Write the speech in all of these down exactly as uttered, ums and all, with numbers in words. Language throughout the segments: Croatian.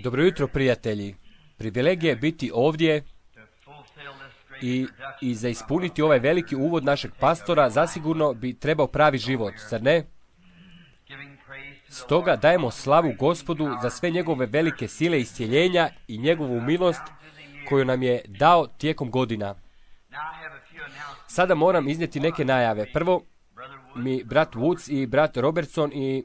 Dobro jutro, prijatelji. Privilegija je biti ovdje i, i za ispuniti ovaj veliki uvod našeg pastora zasigurno bi trebao pravi život, zar ne? Stoga dajemo slavu Gospodu za sve njegove velike sile iscjeljenja i njegovu milost koju nam je dao tijekom godina. Sada moram iznijeti neke najave. Prvo, mi brat Woods i brat Robertson i,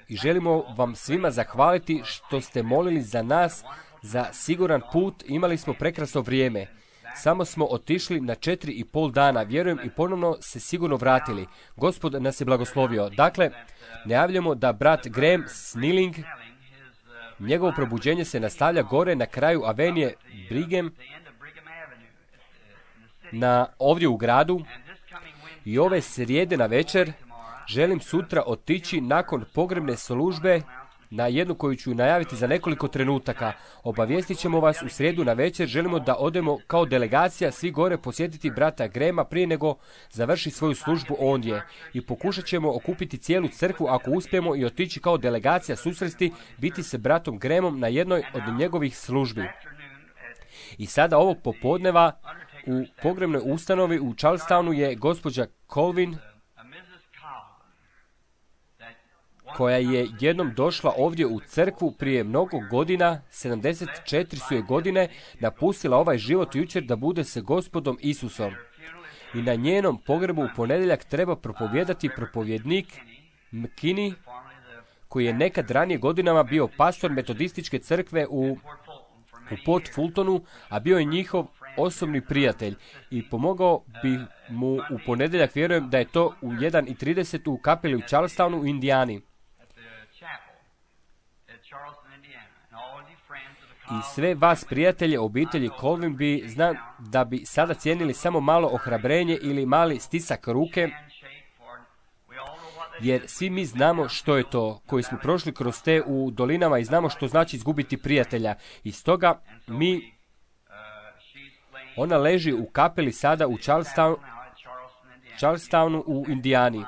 i želimo vam svima zahvaliti što ste molili za nas za siguran put. Imali smo prekrasno vrijeme. Samo smo otišli na četiri i pol dana, vjerujem, i ponovno se sigurno vratili. Gospod nas je blagoslovio. Dakle, najavljamo da brat Graham Snelling, njegovo probuđenje se nastavlja gore na kraju Avenije Brigham, na, ovdje u gradu. I ove srijede na večer želim sutra otići nakon pogrebne službe na jednu koju ću najaviti za nekoliko trenutaka. Obavijestit ćemo vas u srijedu na večer. Želimo da odemo kao delegacija svi gore posjetiti brata Grema prije nego završi svoju službu ondje. I pokušat ćemo okupiti cijelu crkvu ako uspijemo i otići kao delegacija susresti, biti se bratom Gremom na jednoj od njegovih službi. I sada ovog popodneva u pogrebnoj ustanovi u Charlestownu je gospođa Colvin, koja je jednom došla ovdje u crkvu prije mnogo godina, sedamdeset četiri su je godine, napustila ovaj život jučer da bude se Gospodom Isusom. I na njenom pogrebu u ponedjeljak treba propovijedati propovjednik McKinney, koji je nekad ranije godinama bio pastor metodističke crkve u, u Port Fultonu, a bio je njihov osobni prijatelj i pomogao bi mu u ponedjeljak, vjerujem da je to u jedan i trideset u kapeli u Charlestownu u Indijani. I sve vas, prijatelje, obitelji Colvin, bi znam da bi sada cijenili samo malo ohrabrenje ili mali stisak ruke, jer svi mi znamo što je to, koji smo prošli kroz te u dolinama i znamo što znači izgubiti prijatelja. I stoga mi, ona leži u kapeli sada u Charlestown, Charlestownu u Indijani.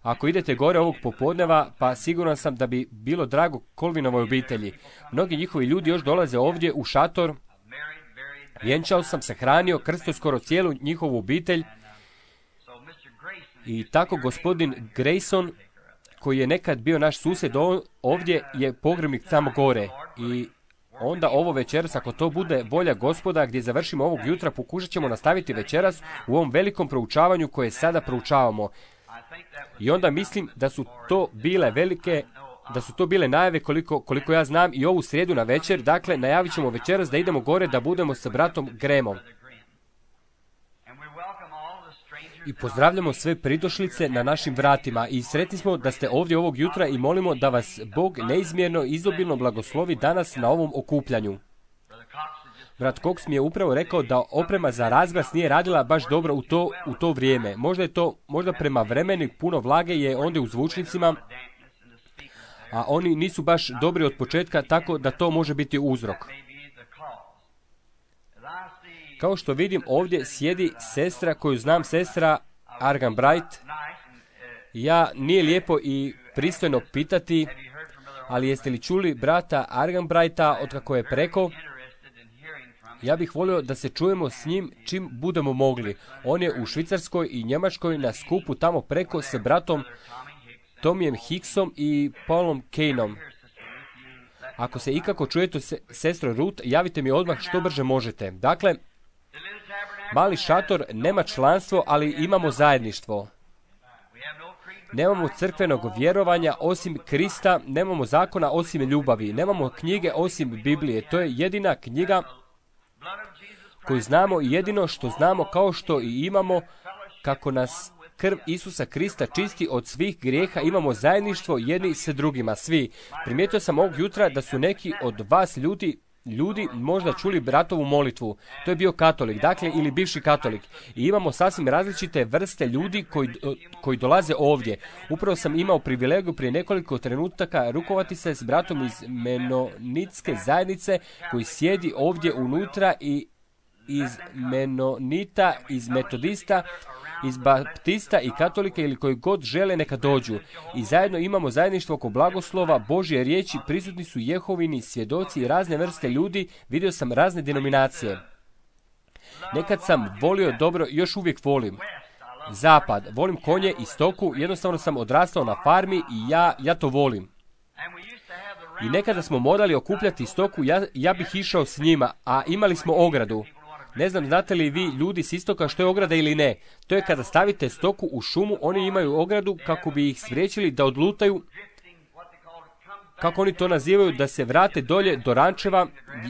Ako idete gore ovog popodneva, pa siguran sam da bi bilo drago Colvinovoj obitelji. Mnogi njihovi ljudi još dolaze ovdje u šator. Vjenčao sam, sahranio, krstio skoro cijelu njihovu obitelj. I tako gospodin Grayson, koji je nekad bio naš susjed ovdje, je pogrebnik tamo gore. I onda ovo večeras, ako to bude volja Gospoda, gdje završimo ovog jutra, pokušat ćemo nastaviti večeras u ovom velikom proučavanju koje sada proučavamo. I onda mislim da su to bile velike, da su to bile najave koliko, koliko ja znam i ovu srijedu na večer. Dakle, najavit ćemo večeras da idemo gore da budemo sa bratom Gremom. I pozdravljamo sve pridošlice na našim vratima i sretni smo da ste ovdje ovog jutra i molimo da vas Bog neizmjerno izobilno blagoslovi danas na ovom okupljanju. Brat Cox mi je upravo rekao da oprema za razglas nije radila baš dobro u to, u to vrijeme. Možda je to, možda prema vremenu puno vlage je ondje u zvučnicima, a oni nisu baš dobri od početka, tako da to može biti uzrok. Kao što vidim, ovdje sjedi sestra koju znam, sestra Argan Bright. Ja, nije lijepo i pristojno pitati, ali jeste li čuli brata Argan Brighta otkako je preko? Ja bih volio da se čujemo s njim čim budemo mogli. On je u Švicarskoj i Njemačkoj na skupu tamo preko sa bratom Tomijem Hicksom i Paulom Kaneom. Ako se ikako čujete, sestro Ruth, javite mi odmah što brže možete. Dakle, mali šator nema članstvo, ali imamo zajedništvo. Nemamo crkvenog vjerovanja osim Krista, nemamo zakona osim ljubavi, nemamo knjige osim Biblije. To je jedina knjiga koju znamo i jedino što znamo, kao što i imamo, kako nas krv Isusa Krista čisti od svih grijeha, imamo zajedništvo jedni sa drugima, svi. Primijetio sam ovog jutra da su neki od vas ljudi, ljudi možda čuli bratovu molitvu. To je bio katolik, dakle, ili bivši katolik. I imamo sasvim različite vrste ljudi koji, koji dolaze ovdje. Upravo sam imao privilegiju prije nekoliko trenutaka rukovati se s bratom iz menonitske zajednice koji sjedi ovdje unutra i iz menonita, iz metodista, iz baptista i katolika ili koji god žele neka dođu. I zajedno imamo zajedništvo oko blagoslova, Božje riječi, prisutni su Jehovini svjedoci i razne vrste ljudi, vidio sam razne denominacije. Nekad sam volio dobro, još uvijek volim zapad, volim konje i stoku, jednostavno sam odrastao na farmi i ja, ja to volim. I nekada smo morali okupljati stoku, ja, ja bih išao s njima, a imali smo ogradu. Ne znam, znate li vi ljudi s istoka što je ograda ili ne? To je kada stavite stoku u šumu, oni imaju ogradu kako bi ih spriječili da odlutaju, kako oni to nazivaju, da se vrate dolje do rančeva,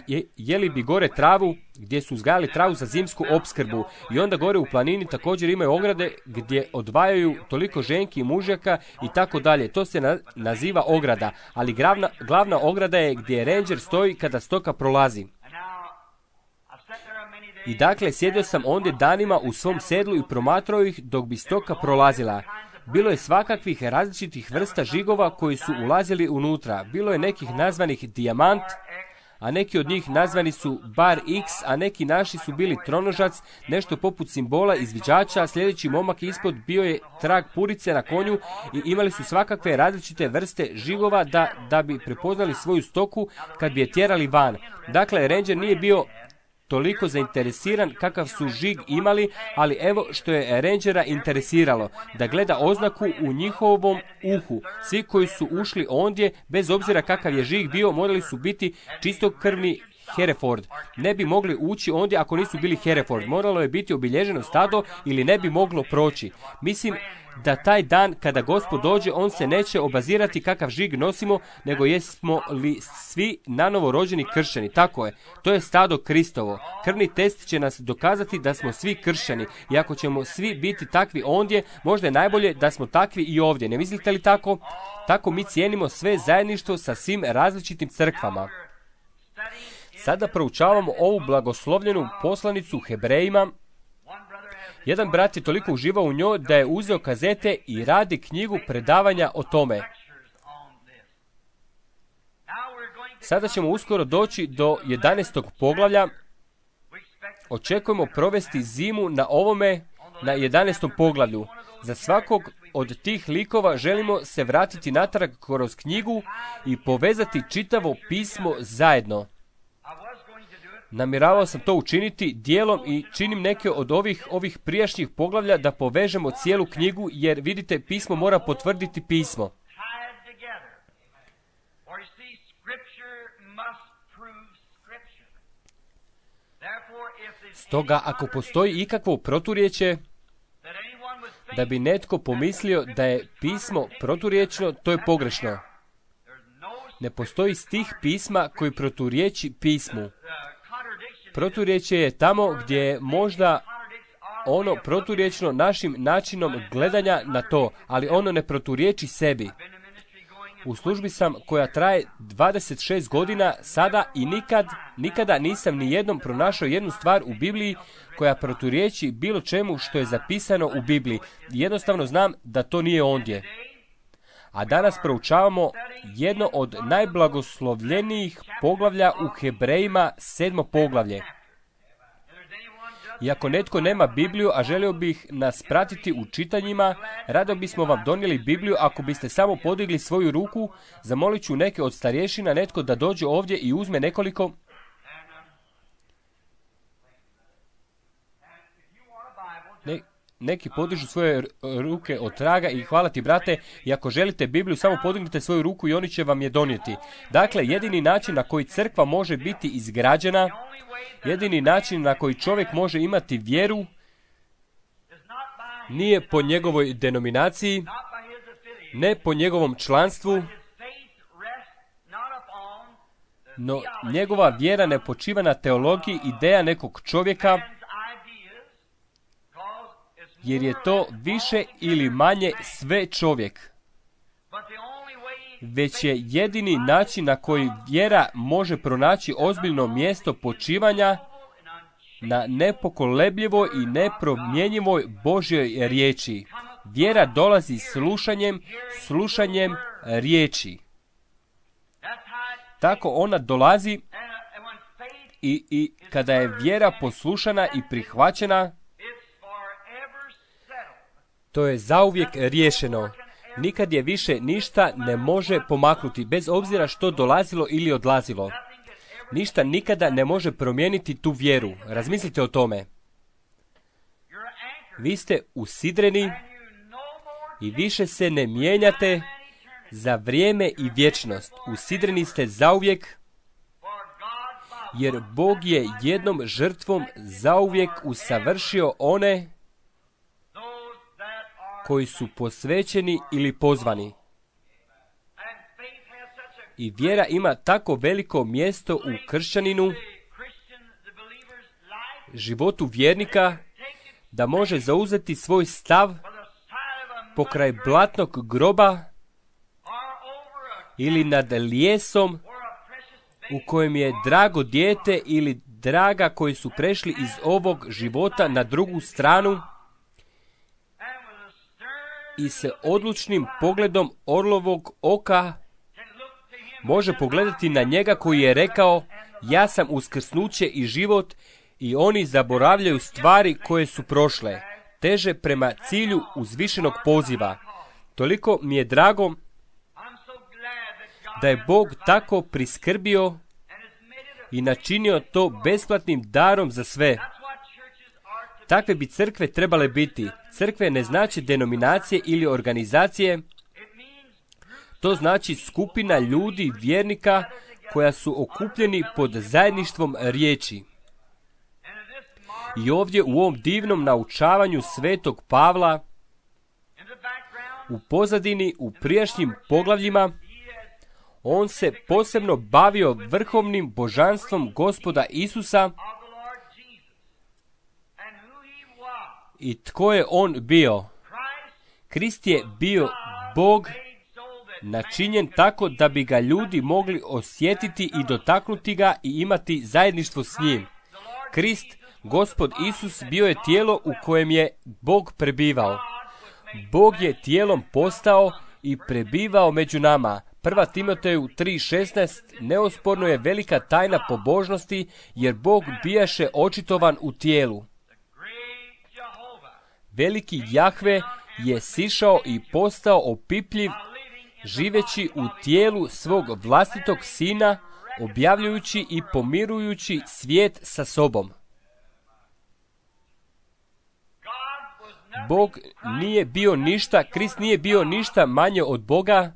je, jeli bi gore travu, gdje su uzgajali travu za zimsku opskrbu. I onda gore u planini također imaju ograde gdje odvajaju toliko ženki i mužjaka i tako dalje. To se na, naziva ograda, ali glavna, glavna ograda je gdje ranger stoji kada stoka prolazi. I dakle, sjedio sam ondje danima u svom sedlu i promatrao ih dok bi stoka prolazila. Bilo je svakakvih različitih vrsta žigova koji su ulazili unutra. Bilo je nekih nazvanih dijamant, a neki od njih nazvani su bar X, a neki naši su bili tronožac, nešto poput simbola izviđača. Sljedeći momak ispod bio je trag purice na konju i imali su svakakve različite vrste žigova da, da bi prepoznali svoju stoku kad bi je tjerali van. Dakle, ranger nije bio toliko zainteresiran kakav su žig imali, ali evo što je rangera interesiralo, da gleda oznaku u njihovom uhu. Svi koji su ušli ondje, bez obzira kakav je žig bio, morali su biti čistokrvni Hereford. Ne bi mogli ući ondje ako nisu bili Hereford. Moralo je biti obilježeno stado ili ne bi moglo proći. Mislim da taj dan kada Gospod dođe, on se neće obazirati kakav žig nosimo, nego jesmo li svi nanovo rođeni kršćani. Tako je, to je stado Kristovo. Krvni test će nas dokazati da smo svi kršćani. I ako ćemo svi biti takvi ondje, možda je najbolje da smo takvi i ovdje. Ne mislite li tako? Tako mi cijenimo sve zajedništvo sa svim različitim crkvama. Sada proučavamo ovu blagoslovljenu poslanicu Hebrejima. Jedan brat je toliko uživao u njoj da je uzeo kazete i radi knjigu predavanja o tome. Sada ćemo uskoro doći do jedanaestog poglavlja. Očekujemo provesti zimu na ovome, na jedanaestom poglavlju. Za svakog od tih likova želimo se vratiti natrag kroz knjigu i povezati čitavo pismo zajedno. Namjeravao sam to učiniti dijelom i činim neke od ovih ovih prijašnjih poglavlja da povežemo cijelu knjigu, jer vidite, pismo mora potvrditi pismo. Stoga, ako postoji ikakvo proturječje, da bi netko pomislio da je pismo proturječno, to je pogrešno. Ne postoji stih pisma koji proturječi pismu. Proturječje je tamo gdje je možda ono proturječno našim načinom gledanja na to, ali ono ne proturječi sebi. U službi sam koja traje dvadeset šest godina sada i nikad, nikada nisam ni jednom pronašao jednu stvar u Bibliji koja proturječi bilo čemu što je zapisano u Bibliji. Jednostavno znam da to nije ondje. A danas proučavamo jedno od najblagoslovljenijih poglavlja u Hebrejima, sedmo poglavlje. I ako netko nema Bibliju, a želio bih nas pratiti u čitanjima, rado bismo vam donijeli Bibliju ako biste samo podigli svoju ruku. Zamolit ću neke od starješina, netko da dođe ovdje i uzme nekoliko. Ne, neki podižu svoje ruke od traga i hvala ti, brate, i ako želite Bibliju, samo podignite svoju ruku i oni će vam je donijeti. Dakle, jedini način na koji crkva može biti izgrađena, jedini način na koji čovjek može imati vjeru, nije po njegovoj denominaciji, ne po njegovom članstvu, no njegova vjera ne počiva na teologiji ideja nekog čovjeka, jer je to više ili manje sve čovjek. Već je jedini način na koji vjera može pronaći ozbiljno mjesto počivanja na nepokolebljivoj i nepromjenjivoj Božjoj riječi. Vjera dolazi slušanjem, slušanjem riječi. Tako ona dolazi I, i kada je vjera poslušana i prihvaćena, to je zauvijek riješeno. Nikad je više ništa ne može pomaknuti, bez obzira što dolazilo ili odlazilo. Ništa nikada ne može promijeniti tu vjeru. Razmislite o tome. Vi ste usidreni i više se ne mijenjate za vrijeme i vječnost. Usidreni ste zauvijek, jer Bog je jednom žrtvom zauvijek usavršio one koji su posvećeni ili pozvani. I vjera ima tako veliko mjesto u kršćaninu, životu vjernika, da može zauzeti svoj stav pokraj blatnog groba ili nad lijesom u kojem je drago dijete ili draga koji su prešli iz ovog života na drugu stranu i se odlučnim pogledom orlovog oka može pogledati na njega koji je rekao: ja sam uskrsnuće i život, i oni zaboravljaju stvari koje su prošle, teže prema cilju uzvišenog poziva. Toliko mi je drago da je Bog tako priskrbio i načinio to besplatnim darom za sve. Takve bi crkve trebale biti. Crkve ne znači denominacije ili organizacije. To znači skupina ljudi, vjernika, koja su okupljeni pod zajedništvom riječi. I ovdje u ovom divnom naučavanju svetog Pavla, u pozadini, u prijašnjim poglavljima, on se posebno bavio vrhovnim božanstvom Gospoda Isusa i tko je on bio. Krist je bio Bog načinjen tako da bi ga ljudi mogli osjetiti i dotaknuti ga i imati zajedništvo s njim. Krist, Gospod Isus, bio je tijelo u kojem je Bog prebivao. Bog je tijelom postao i prebivao među nama. Prva Timoteju tri šesnaest neosporno je velika tajna pobožnosti, jer Bog bijaše očitovan u tijelu. Veliki Jahve je sišao i postao opipljiv, živeći u tijelu svog vlastitog sina, objavljujući i pomirujući svijet sa sobom. Bog nije bio ništa, Krist nije bio ništa manje od Boga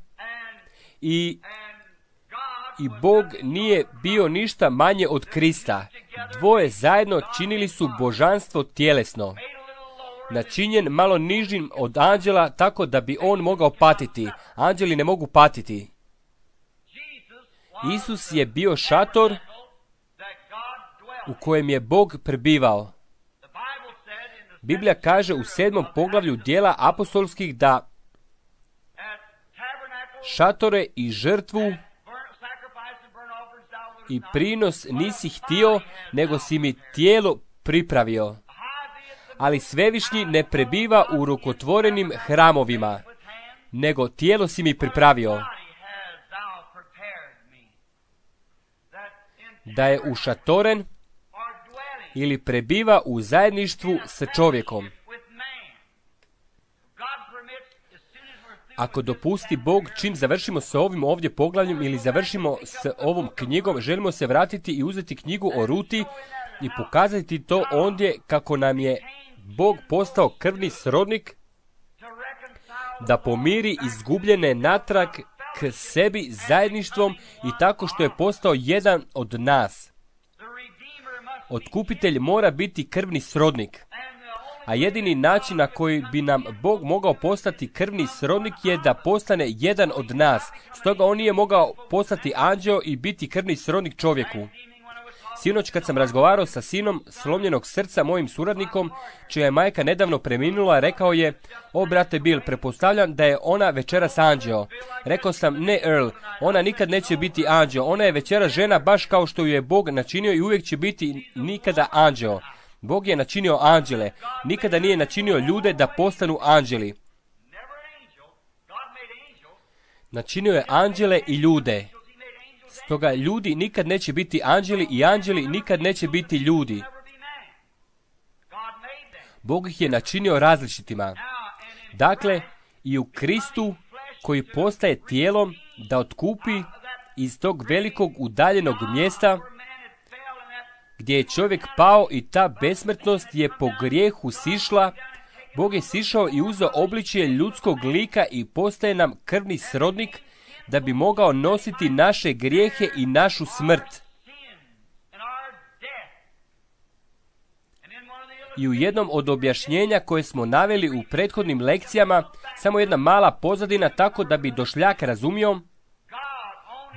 i, i Bog nije bio ništa manje od Krista. Dvoje zajedno činili su božanstvo tjelesno, načinjen malo nižim od anđela, tako da bi on mogao patiti. Anđeli ne mogu patiti. Isus je bio šator u kojem je Bog prebivao. Biblija kaže u sedmom poglavlju Djela apostolskih da šatore i žrtvu i prinos nisi htio, nego si mi tijelo pripravio. Ali Svevišnji ne prebiva u rukotvorenim hramovima, nego tijelo si mi pripravio. Da je ušatoren ili prebiva u zajedništvu sa čovjekom. Ako dopusti Bog, čim završimo sa ovim ovdje poglavljem ili završimo s ovom knjigom, želimo se vratiti i uzeti knjigu o Ruti i pokazati to ondje kako nam je Bog postao krvni srodnik, da pomiri izgubljene natrag k sebi zajedništvom i tako što je postao jedan od nas. Otkupitelj mora biti krvni srodnik. A jedini način na koji bi nam Bog mogao postati krvni srodnik je da postane jedan od nas. Stoga on nije mogao postati anđeo i biti krvni srodnik čovjeku. Sinoć kad sam razgovarao sa sinom slomljenog srca, mojim suradnikom, čija je majka nedavno preminula, rekao je: o brate Bill, pretpostavljam da je ona večeras anđeo. Rekao sam: ne Earl, ona nikad neće biti anđeo, ona je večeras žena baš kao što ju je Bog načinio i uvijek će biti nikada anđeo. Bog je načinio anđele, nikada nije načinio ljude da postanu anđeli. Načinio je anđele i ljude. Stoga ljudi nikad neće biti anđeli i anđeli nikad neće biti ljudi. Bog ih je načinio različitima. Dakle, i u Kristu koji postaje tijelom da otkupi iz tog velikog udaljenog mjesta gdje je čovjek pao i ta besmrtnost je po grijehu sišla, Bog je sišao i uzeo obličje ljudskog lika i postaje nam krvni srodnik da bi mogao nositi naše grijehe i našu smrt. I u jednom od objašnjenja koje smo naveli u prethodnim lekcijama, samo jedna mala pozadina tako da bi došljak razumio,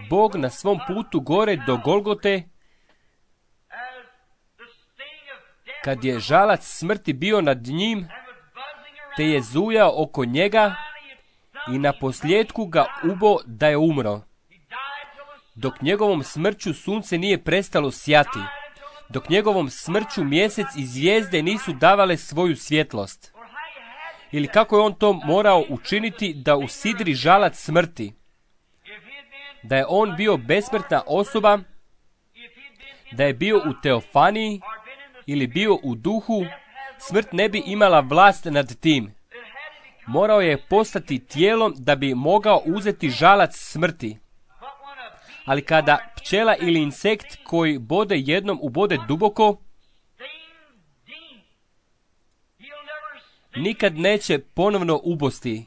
Bog na svom putu gore do Golgote, kad je žalac smrti bio nad njim, te je zujao oko njega i na posljedku ga ubo da je umro. Dok njegovom smrću sunce nije prestalo sjati, dok njegovom smrću mjesec i zvijezde nisu davale svoju svjetlost. Ili kako je on to morao učiniti da usidri žalac smrti? Da je on bio besmrtna osoba, da je bio u teofaniji ili bio u duhu, smrt ne bi imala vlast nad tim. Morao je postati tijelom da bi mogao uzeti žalac smrti. Ali kada pčela ili insekt koji bode jednom ubode duboko, nikad neće ponovno ubosti.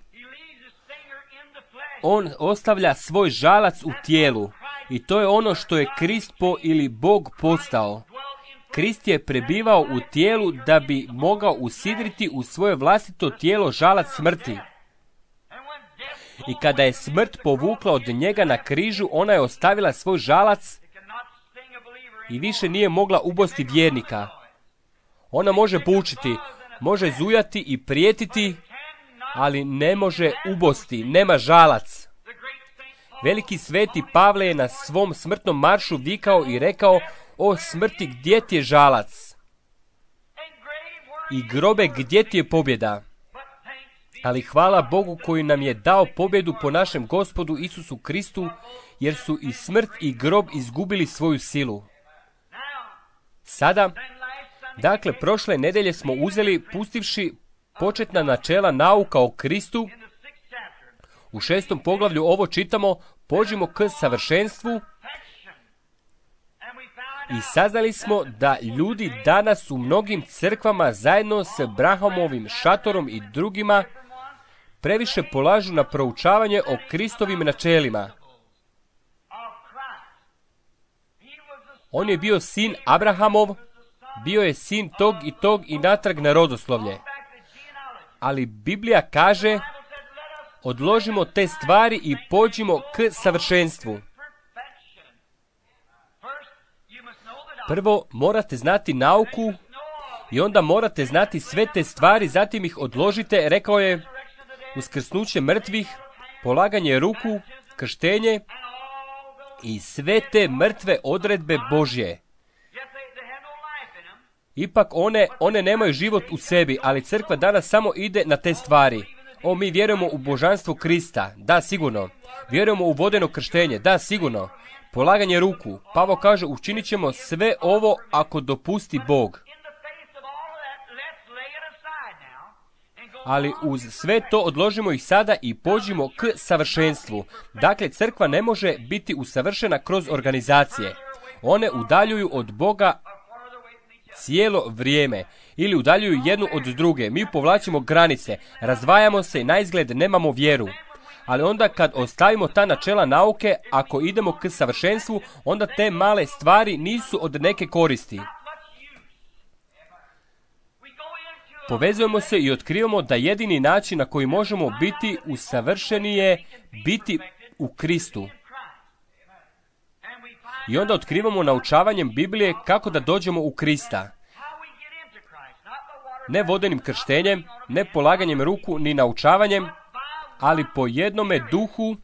On ostavlja svoj žalac u tijelu i to je ono što je Krist po ili Bog postao. Krist je prebivao u tijelu da bi mogao usidriti u svoje vlastito tijelo žalac smrti. I kada je smrt povukla od njega na križu, ona je ostavila svoj žalac i više nije mogla ubosti vjernika. Ona može bučiti, može zujati i prijetiti, ali ne može ubosti, nema žalac. Veliki sveti Pavle je na svom smrtnom maršu vikao i rekao: o smrti, gdje ti je žalac? I grobe, gdje ti je pobjeda? Ali hvala Bogu koji nam je dao pobjedu po našem Gospodu Isusu Kristu, jer su i smrt i grob izgubili svoju silu. Sada, dakle, prošle nedelje smo uzeli, pustivši početna načela nauka o Kristu. U šestom poglavlju ovo čitamo: pođimo k savršenstvu. I saznali smo da ljudi danas u mnogim crkvama zajedno s Brahamovim šatorom i drugima previše polažu na proučavanje o Kristovim načelima. On je bio sin Abrahamov, bio je sin tog i tog i natrag na rodoslovlje. Ali Biblija kaže: odložimo te stvari i pođimo k savršenstvu. Prvo morate znati nauku i onda morate znati sve te stvari, zatim ih odložite, rekao je, uskrsnuće mrtvih, polaganje ruku, krštenje i sve te mrtve odredbe Božje. Ipak one, one nemaju život u sebi, ali crkva danas samo ide na te stvari. O, mi vjerujemo u božanstvo Krista, da, sigurno. Vjerujemo u vodeno krštenje, da, sigurno. Polaganje ruku. Pavao kaže: učinit ćemo sve ovo ako dopusti Bog. Ali uz sve to odložimo ih sada i pođimo k savršenstvu. Dakle, crkva ne može biti usavršena kroz organizacije. One udaljuju od Boga cijelo vrijeme ili udaljuju jednu od druge. Mi povlačimo granice, razdvajamo se i naizgled nemamo vjeru. Ali onda kad ostavimo ta načela nauke, ako idemo k savršenstvu, onda te male stvari nisu od neke koristi. Povezujemo se i otkrivamo da jedini način na koji možemo biti usavršeni je biti u Kristu. I onda otkrivamo naučavanjem Biblije kako da dođemo u Krista. Ne vodenim krštenjem, ne polaganjem ruku, ni naučavanjem, ali po jednome duhu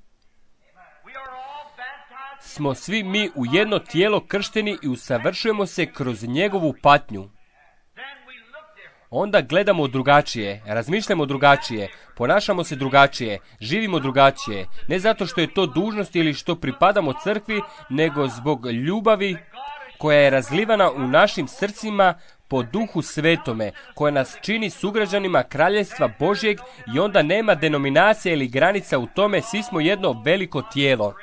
smo svi mi u jedno tijelo kršteni i usavršujemo se kroz njegovu patnju. onda gledamo drugačije, razmišljamo drugačije, ponašamo se drugačije, živimo drugačije. Ne zato što je to dužnost ili što pripadamo crkvi, nego zbog ljubavi koja je razlivana u našim srcima po Duhu Svetome, koja nas čini sugrađanima Kraljevstva Božjeg i onda nema denominacije ili granica u tome, svi smo jedno veliko tijelo.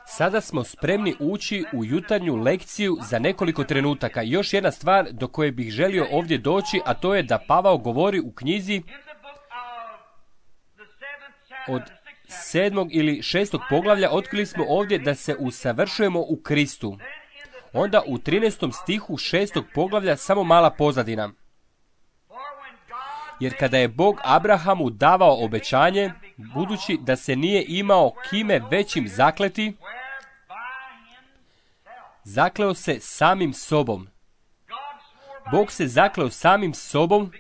Sada smo spremni ući u jutarnju lekciju za nekoliko trenutaka. Još jedna stvar do koje bih želio ovdje doći, a to je da Pavao govori u knjizi od sedmog ili šestog poglavlja, otkrili smo ovdje da se usavršujemo u Kristu. Onda u trinaestom stihu šestog poglavlja samo mala pozadina. Jer kada je Bog Abrahamu davao obećanje, budući da se nije imao kime većim zakleti, zakleo se samim sobom. Bog se zakleo samim sobom,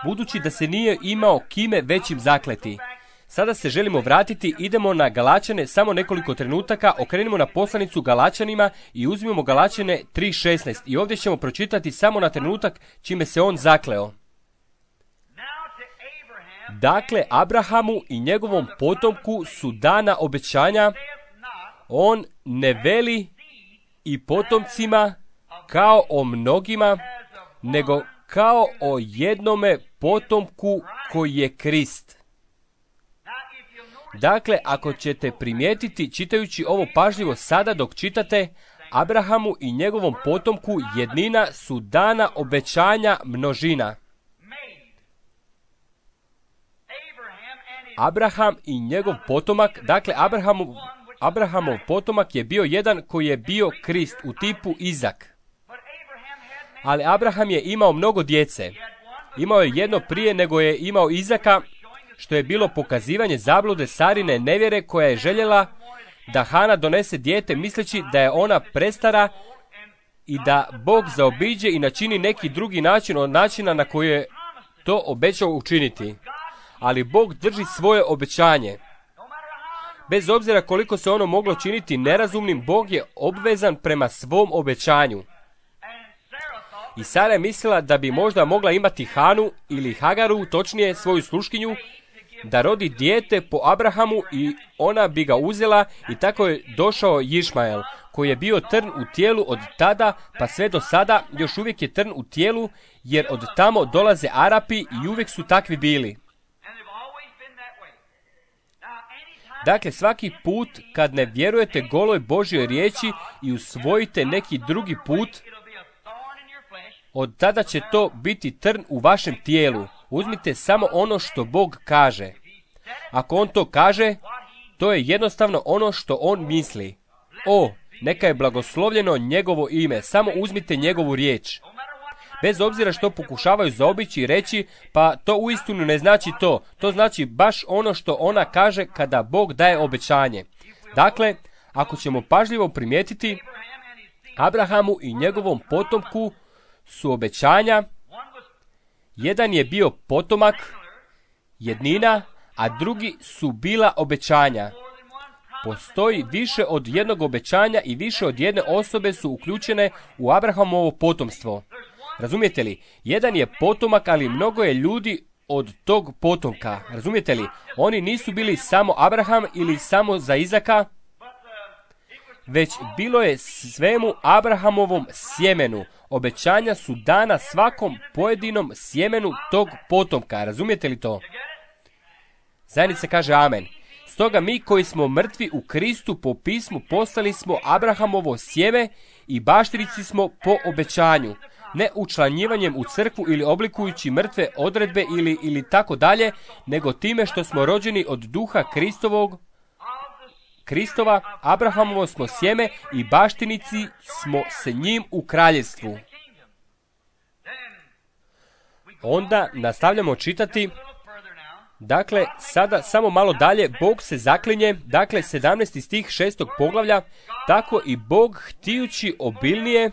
budući da se nije imao kime većim zakleti. Sada se želimo vratiti, idemo na Galačane samo nekoliko trenutaka, okrenimo na poslanicu Galačanima i uzmimo Galačane tri šesnaest. I ovdje ćemo pročitati samo na trenutak čime se on zakleo. Dakle, Abrahamu i njegovom potomku su dana obećanja, on ne veli i potomcima kao o mnogima, nego kao o jednome potomku koji je Krist. Dakle, ako ćete primijetiti čitajući ovo pažljivo sada dok čitate, Abrahamu i njegovom potomku jednina su dana obećanja množina. Abraham i njegov potomak, dakle Abrahamov, Abrahamov potomak je bio jedan koji je bio Krist u tipu Izak. Ali Abraham je imao mnogo djece. Imao je jedno prije nego je imao Izaka, što je bilo pokazivanje zablude Sarine nevjere koja je željela da Hana donese dijete misleći da je ona prestara i da Bog zaobiđe i načini neki drugi način od načina na koji je to obećao učiniti. Ali Bog drži svoje obećanje. Bez obzira koliko se ono moglo činiti nerazumnim, Bog je obvezan prema svom obećanju. I Sara je mislila da bi možda mogla imati Hanu ili Hagaru, točnije svoju sluškinju, da rodi dijete po Abrahamu i ona bi ga uzela i tako je došao Išmael, koji je bio trn u tijelu od tada pa sve do sada, još uvijek je trn u tijelu, jer od tamo dolaze Arapi i uvijek su takvi bili. Dakle, svaki put kad ne vjerujete goloj Božjoj riječi i usvojite neki drugi put, od tada će to biti trn u vašem tijelu. Uzmite samo ono što Bog kaže. Ako on to kaže, to je jednostavno ono što on misli. O, neka je blagoslovljeno njegovo ime, samo uzmite njegovu riječ. Bez obzira što pokušavaju zaobići i reći, pa to uistinu ne znači to. To znači baš ono što ona kaže kada Bog daje obećanje. Dakle, ako ćemo pažljivo primijetiti, Abrahamu i njegovom potomku su obećanja. Jedan je bio potomak, jednina, a drugi su bila obećanja. Postoji više od jednog obećanja i više od jedne osobe su uključene u Abrahamovo potomstvo. Razumijete li? Jedan je potomak, ali mnogo je ljudi od tog potomka. Razumijete li? Oni nisu bili samo Abraham ili samo za Izaka, već bilo je svemu Abrahamovom sjemenu. Obećanja su dana svakom pojedinom sjemenu tog potomka. Razumijete li to? Zajednica kaže amen. Stoga mi koji smo mrtvi u Kristu po pismu postali smo Abrahamovo sjeme i baštinici smo po obećanju. Ne učlanjivanjem u crkvu ili oblikujući mrtve odredbe ili, ili tako dalje, nego time što smo rođeni od duha Kristovog, Kristova, Abrahamovo smo sjeme i baštinici smo s njim u kraljevstvu. Onda nastavljamo čitati. Dakle, sada samo malo dalje, Bog se zaklinje, dakle sedamnaesti stih šestog poglavlja, tako i Bog htijući obilnije,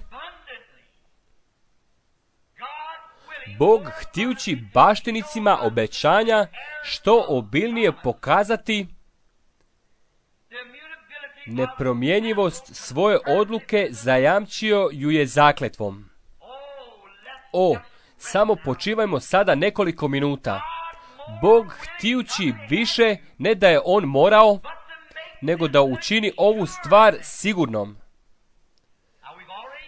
Bog htijući baštinicima obećanja što obilnije pokazati nepromjenjivost svoje odluke, zajamčio ju je zakletvom. o, samo počivajmo sada nekoliko minuta. Bog htijući više, ne da je on morao, nego da učini ovu stvar sigurnom.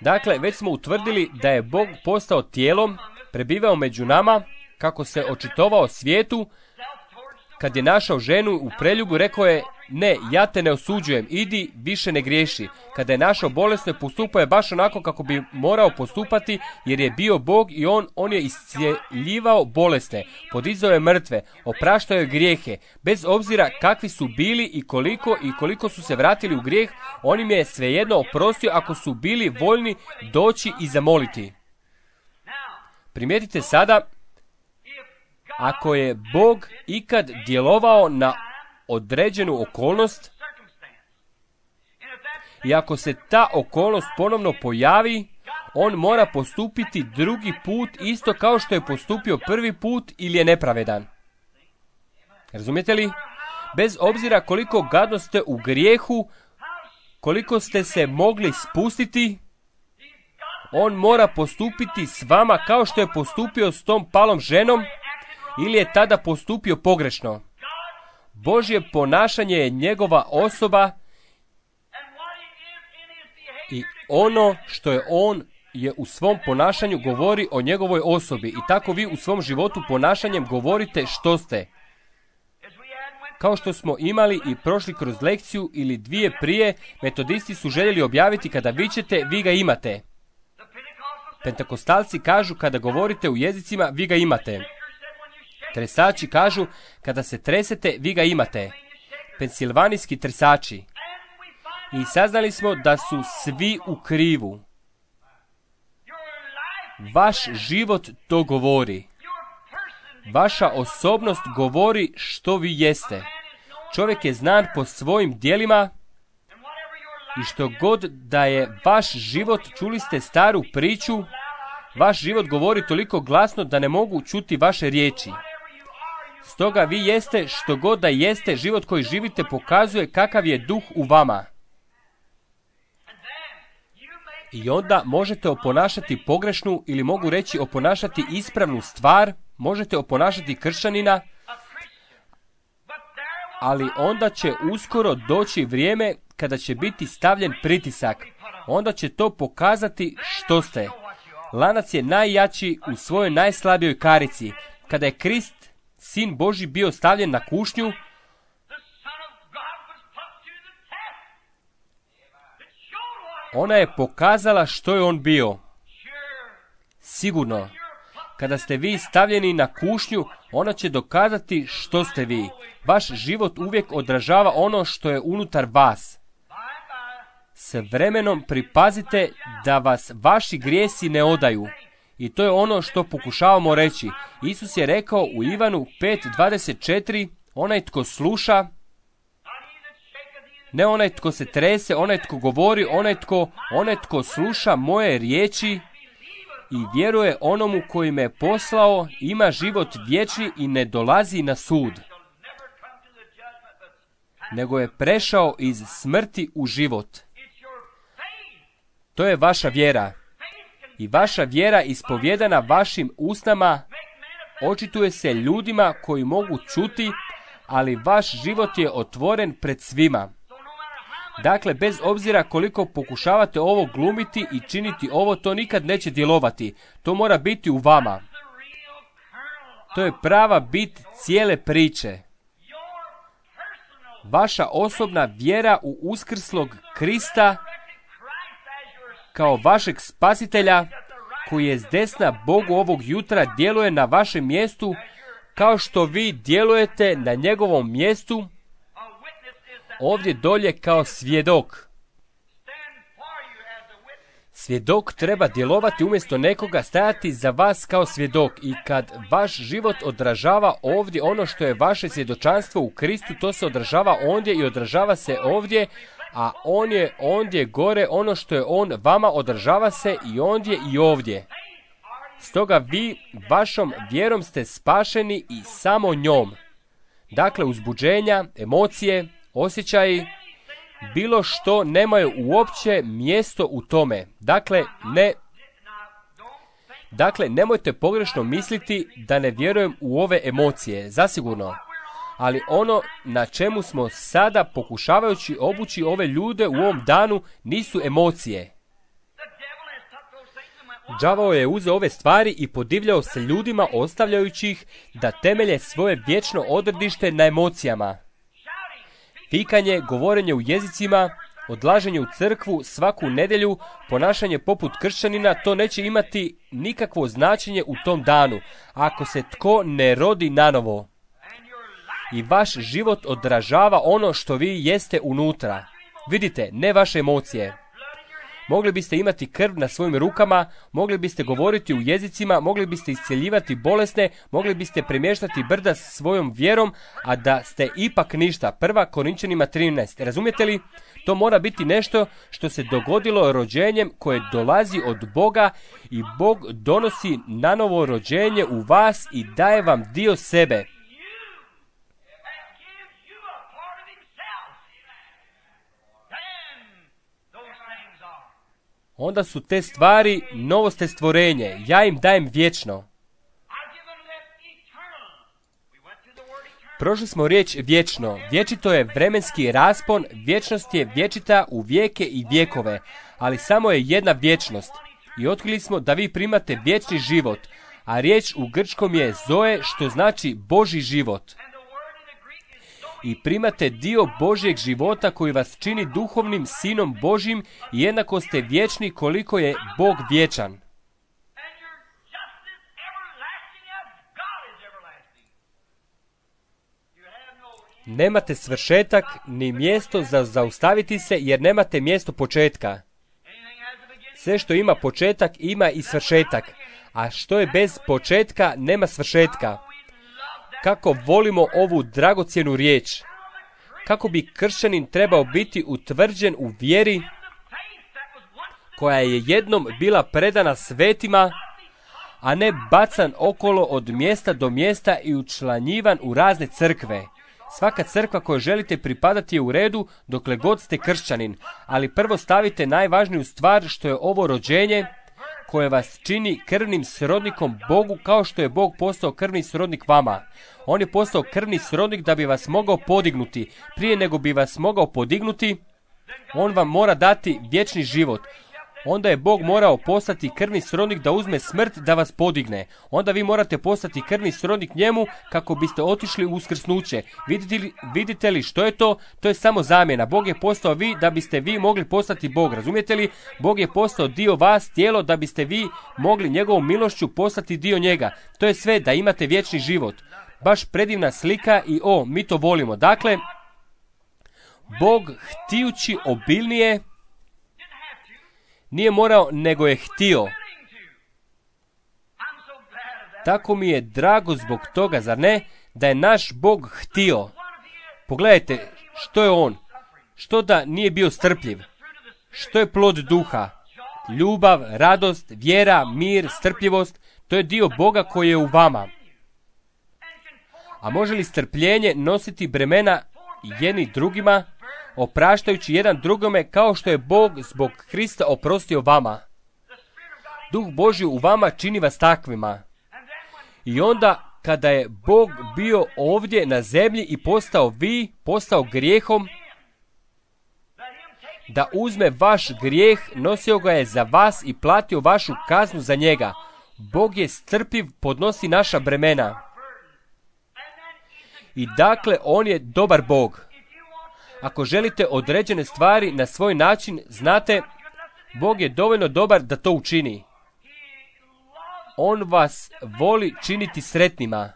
Dakle, već smo utvrdili da je Bog postao tijelom, prebivao među nama, kako se očitovao svijetu. Kad je našao ženu u preljubu, rekao je, ne, ja te ne osuđujem, idi, više ne griješi. Kada je našao bolesno, postupao je baš onako kako bi morao postupati, jer je bio Bog i on, on je iscjeljivao bolesne, podizao je mrtve, opraštao je grijehe. Bez obzira kakvi su bili i koliko i koliko su se vratili u grijeh, on im je svejedno oprostio ako su bili voljni doći i zamoliti. Primijetite sada, ako je Bog ikad djelovao na određenu okolnost i ako se ta okolnost ponovno pojavi, on mora postupiti drugi put isto kao što je postupio prvi put ili je nepravedan. Razumijete li? Bez obzira koliko gadno ste u grijehu, koliko ste se mogli spustiti, on mora postupiti s vama kao što je postupio s tom palom ženom ili je tada postupio pogrešno. Božje ponašanje je njegova osoba i ono što je on je u svom ponašanju govori o njegovoj osobi i tako vi u svom životu ponašanjem govorite što ste. Kao što smo imali i prošli kroz lekciju ili dvije prije, metodisti su željeli objaviti kada vičete, vi ga imate. Pentekostalci kažu kada govorite u jezicima, vi ga imate. Tresači kažu, kada se tresete, vi ga imate. Pensilvanijski tresači. I saznali smo da su svi u krivu. Vaš život to govori. Vaša osobnost govori što vi jeste. Čovjek je znan po svojim djelima i što god da je vaš život, čuli ste staru priču, vaš život govori toliko glasno da ne mogu čuti vaše riječi. Stoga vi jeste što god da jeste, život koji živite pokazuje kakav je duh u vama. I onda možete oponašati pogrešnu ili mogu reći oponašati ispravnu stvar, možete oponašati kršćanina, ali onda će uskoro doći vrijeme kada će biti stavljen pritisak. Onda će to pokazati što ste. Lanac je najjači u svojoj najslabijoj karici. Kada je Krist, Sin Božji, bio stavljen na kušnju, ona je pokazala što je on bio. Sigurno, kada ste vi stavljeni na kušnju, ona će dokazati što ste vi. Vaš život uvijek odražava ono što je unutar vas. S vremenom pripazite da vas vaši grijesi ne odaju. I to je ono što pokušavamo reći. Isus je rekao u Ivanu pet dvadeset četiri, onaj tko sluša, ne onaj tko se trese, onaj tko govori, onaj tko, onaj tko sluša moje riječi i vjeruje onomu koji me poslao, ima život vječni i ne dolazi na sud, nego je prešao iz smrti u život. To je vaša vjera. I vaša vjera ispovjedana vašim usnama očituje se ljudima koji mogu čuti, ali vaš život je otvoren pred svima. Dakle, bez obzira koliko pokušavate ovo glumiti i činiti ovo, to nikad neće djelovati. To mora biti u vama. To je prava bit cijele priče. Vaša osobna vjera u uskrslog Krista kao vašeg spasitelja, koji je s desna Bogu ovog jutra, djeluje na vašem mjestu kao što vi djelujete na njegovom mjestu ovdje dolje kao svjedok. Svjedok treba djelovati umjesto nekoga, stajati za vas kao svjedok. I kad vaš život odražava ovdje ono što je vaše svjedočanstvo u Kristu, to se odražava ondje i odražava se ovdje, a on je ondje gore, ono što je on vama odražava se i ondje i ovdje. Stoga vi vašom vjerom ste spašeni i samo njom. Dakle, uzbuđenja, emocije, osjećaji, bilo što nemaju uopće mjesto u tome. Dakle, ne, Dakle, nemojte pogrešno misliti da ne vjerujem u ove emocije, zasigurno. Ali ono na čemu smo sada pokušavajući obući ove ljude u ovom danu nisu emocije. Đavao je uzeo ove stvari i podivljao se ljudima ostavljajući ih da temelje svoje vječno odredište na emocijama. Vikanje, govorenje u jezicima, odlaženje u crkvu svaku nedjelju, ponašanje poput kršćanina, to neće imati nikakvo značenje u tom danu, ako se tko ne rodi nanovo. I vaš život odražava ono što vi jeste unutra. Vidite, ne vaše emocije. Mogli biste imati krv na svojim rukama, mogli biste govoriti u jezicima, mogli biste isceljivati bolesne, mogli biste premještati brda s svojom vjerom, a da ste ipak ništa. Prva Korinčanima trinaest. Razumijete li? To mora biti nešto što se dogodilo rođenjem koje dolazi od Boga i Bog donosi nanovo rođenje u vas i daje vam dio sebe. Onda su te stvari novoste stvorenje. Ja im dajem vječno. Prošli smo riječ vječno. Vječito je vremenski raspon, vječnost je vječita u vijeke i vjekove, ali samo je jedna vječnost. I otkrili smo da vi primate vječni život, a riječ u grčkom je zoe, što znači Božji život. I primate dio Božjeg života koji vas čini duhovnim sinom Božjim i jednako ste vječni koliko je Bog vječan. Nemate svršetak ni mjesto za zaustaviti se jer nemate mjesto početka. Sve što ima početak ima i svršetak, a što je bez početka nema svršetka. Kako volimo ovu dragocjenu riječ. Kako bi kršćanin trebao biti utvrđen u vjeri koja je jednom bila predana svetima, a ne bacan okolo od mjesta do mjesta i učlanjivan u razne crkve. Svaka crkva kojoj želite pripadati je u redu dokle god ste kršćanin, ali prvo stavite najvažniju stvar što je ovo rođenje koje vas čini krvnim srodnikom Bogu kao što je Bog postao krvni srodnik vama. On je postao krvni srodnik da bi vas mogao podignuti. Prije nego bi vas mogao podignuti, on vam mora dati vječni život. Onda je Bog morao postati krvni srodnik da uzme smrt da vas podigne. Onda vi morate postati krvni srodnik njemu kako biste otišli u uskrsnuće. Vidite li, vidite li što je to? To je samo zamjena. Bog je postao vi da biste vi mogli postati Bog. Razumijete li? Bog je postao dio vas, tijelo, da biste vi mogli njegovom milošću postati dio njega. To je sve da imate vječni život. Baš predivna slika i o, mi to volimo. Dakle, Bog htijući obilnije nije morao, nego je htio. Tako mi je drago zbog toga, zar ne, da je naš Bog htio. Pogledajte, što je on? Što da nije bio strpljiv? Što je plod duha? Ljubav, radost, vjera, mir, strpljivost, to je dio Boga koji je u vama. A može li strpljenje nositi bremena jedni drugima, opraštajući jedan drugome kao što je Bog zbog Krista oprostio vama? Duh Božji u vama čini vas takvima. I onda kada je Bog bio ovdje na zemlji i postao vi, postao grijehom, da uzme vaš grijeh, nosio ga je za vas i platio vašu kaznu za njega. Bog je strpljiv, podnosi naša bremena. I dakle, on je dobar Bog. Ako želite određene stvari na svoj način, znate, Bog je dovoljno dobar da to učini. On vas voli činiti sretnima.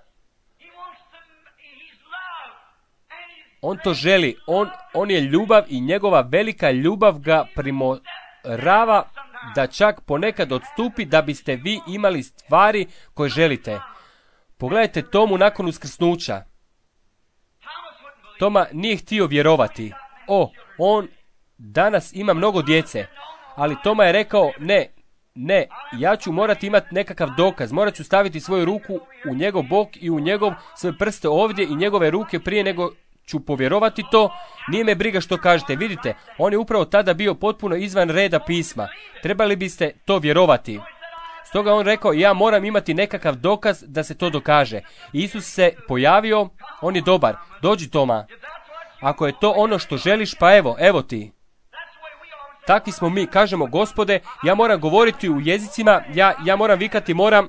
On to želi. On, on je ljubav i njegova velika ljubav ga primorava da čak ponekad odstupi da biste vi imali stvari koje želite. Pogledajte Tomu nakon uskrsnuća. Toma nije htio vjerovati. O, on danas ima mnogo djece. Ali Toma je rekao, ne, ne, ja ću morati imati nekakav dokaz. Morat ću staviti svoju ruku u njegov bok i u njegov sve prste ovdje i njegove ruke prije nego ću povjerovati to. Nije me briga što kažete. Vidite, on je upravo tada bio potpuno izvan reda pisma. Trebali biste to vjerovati. Stoga on rekao, ja moram imati nekakav dokaz da se to dokaže. Isus se pojavio, on je dobar. Dođi, Toma. Ako je to ono što želiš, pa evo, evo ti. Takvi smo mi. Kažemo, Gospode, ja moram govoriti u jezicima, ja, ja moram vikati, moram...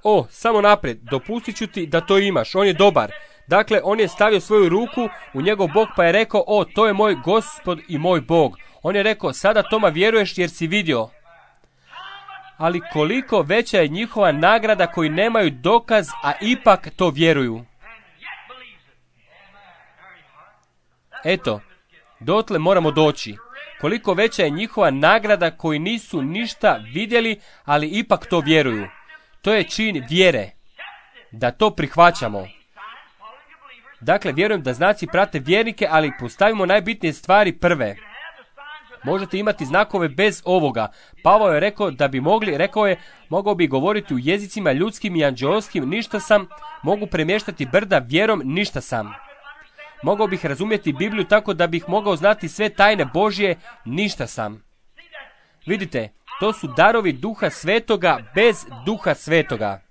O, samo naprijed, dopustit ću ti da to imaš, on je dobar. Dakle, on je stavio svoju ruku u njegov bok pa je rekao, o, to je moj Gospod i moj Bog. On je rekao, sada Toma vjeruješ jer si vidio. Ali koliko veća je njihova nagrada koji nemaju dokaz, a ipak to vjeruju. Eto, dotle moramo doći. Koliko veća je njihova nagrada koji nisu ništa vidjeli, ali ipak to vjeruju. To je čin vjere. Da to prihvaćamo. Dakle, vjerujem da znaci prate vjernike, ali postavimo najbitnije stvari prve. Možete imati znakove bez ovoga. Pavao je rekao da bi mogli, rekao je, mogao bi govoriti u jezicima ljudskim i anđeoskim, ništa sam, mogu premještati brda vjerom, ništa sam. Mogao bih razumjeti Bibliju tako da bih mogao znati sve tajne Božje, ništa sam. Vidite, to su darovi Duha Svetoga bez Duha Svetoga.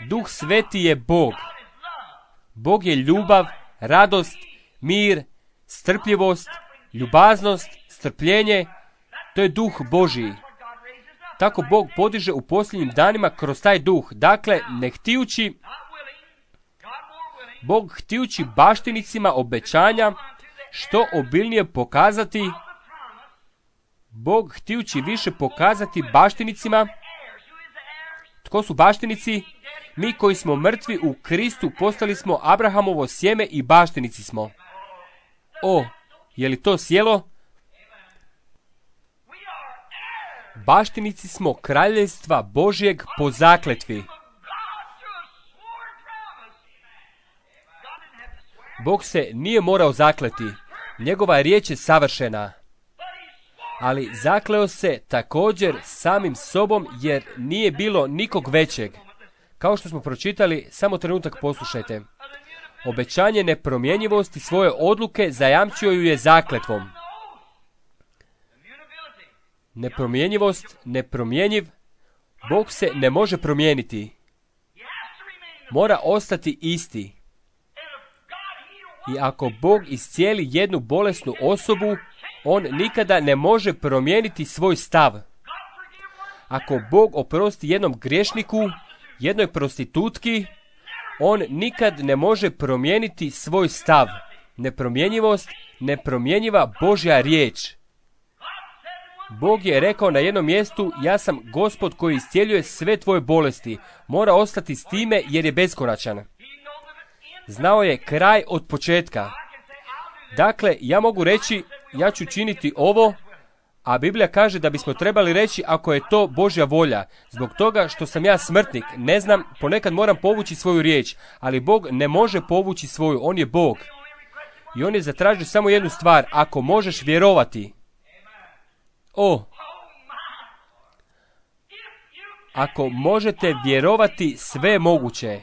Duh Sveti je Bog. Bog je ljubav, radost, mir, strpljivost, ljubaznost, strpljenje. To je Duh Božji. Tako Bog podiže u posljednjim danima kroz taj duh. Dakle, ne htijući, Bog htijući baštinicima obećanja što obilnije pokazati, Bog htijući više pokazati baštinicima. Tko su baštinici? Mi koji smo mrtvi u Kristu postali smo Abrahamovo sjeme i baštinici smo. O, je li to sjelo? Baštinici smo kraljevstva Božjeg po zakletvi. Bog se nije morao zakleti. Njegova riječ je savršena. Ali zakleo se također samim sobom jer nije bilo nikog većeg. Kao što smo pročitali, samo trenutak poslušajte. Obećanje nepromjenjivosti svoje odluke zajamčio ju je zakletvom. Nepromjenjivost, nepromjenjiv, Bog se ne može promijeniti. Mora ostati isti. I ako Bog iscijeli jednu bolesnu osobu, on nikada ne može promijeniti svoj stav. Ako Bog oprosti jednom griješniku, jednoj prostitutki, on nikad ne može promijeniti svoj stav. Nepromjenjivost, nepromjenjiva Božja riječ. Bog je rekao na jednom mjestu, ja sam Gospod koji iscijeljuje sve tvoje bolesti. Mora ostati s time jer je beskonačan. Znao je kraj od početka. Dakle, ja mogu reći, ja ću činiti ovo, a Biblija kaže da bismo trebali reći ako je to Božja volja. Zbog toga što sam ja smrtnik, ne znam, ponekad moram povući svoju riječ, ali Bog ne može povući svoju, on je Bog. I on je zatražio samo jednu stvar, ako možeš vjerovati. O, ako možete vjerovati, sve je moguće.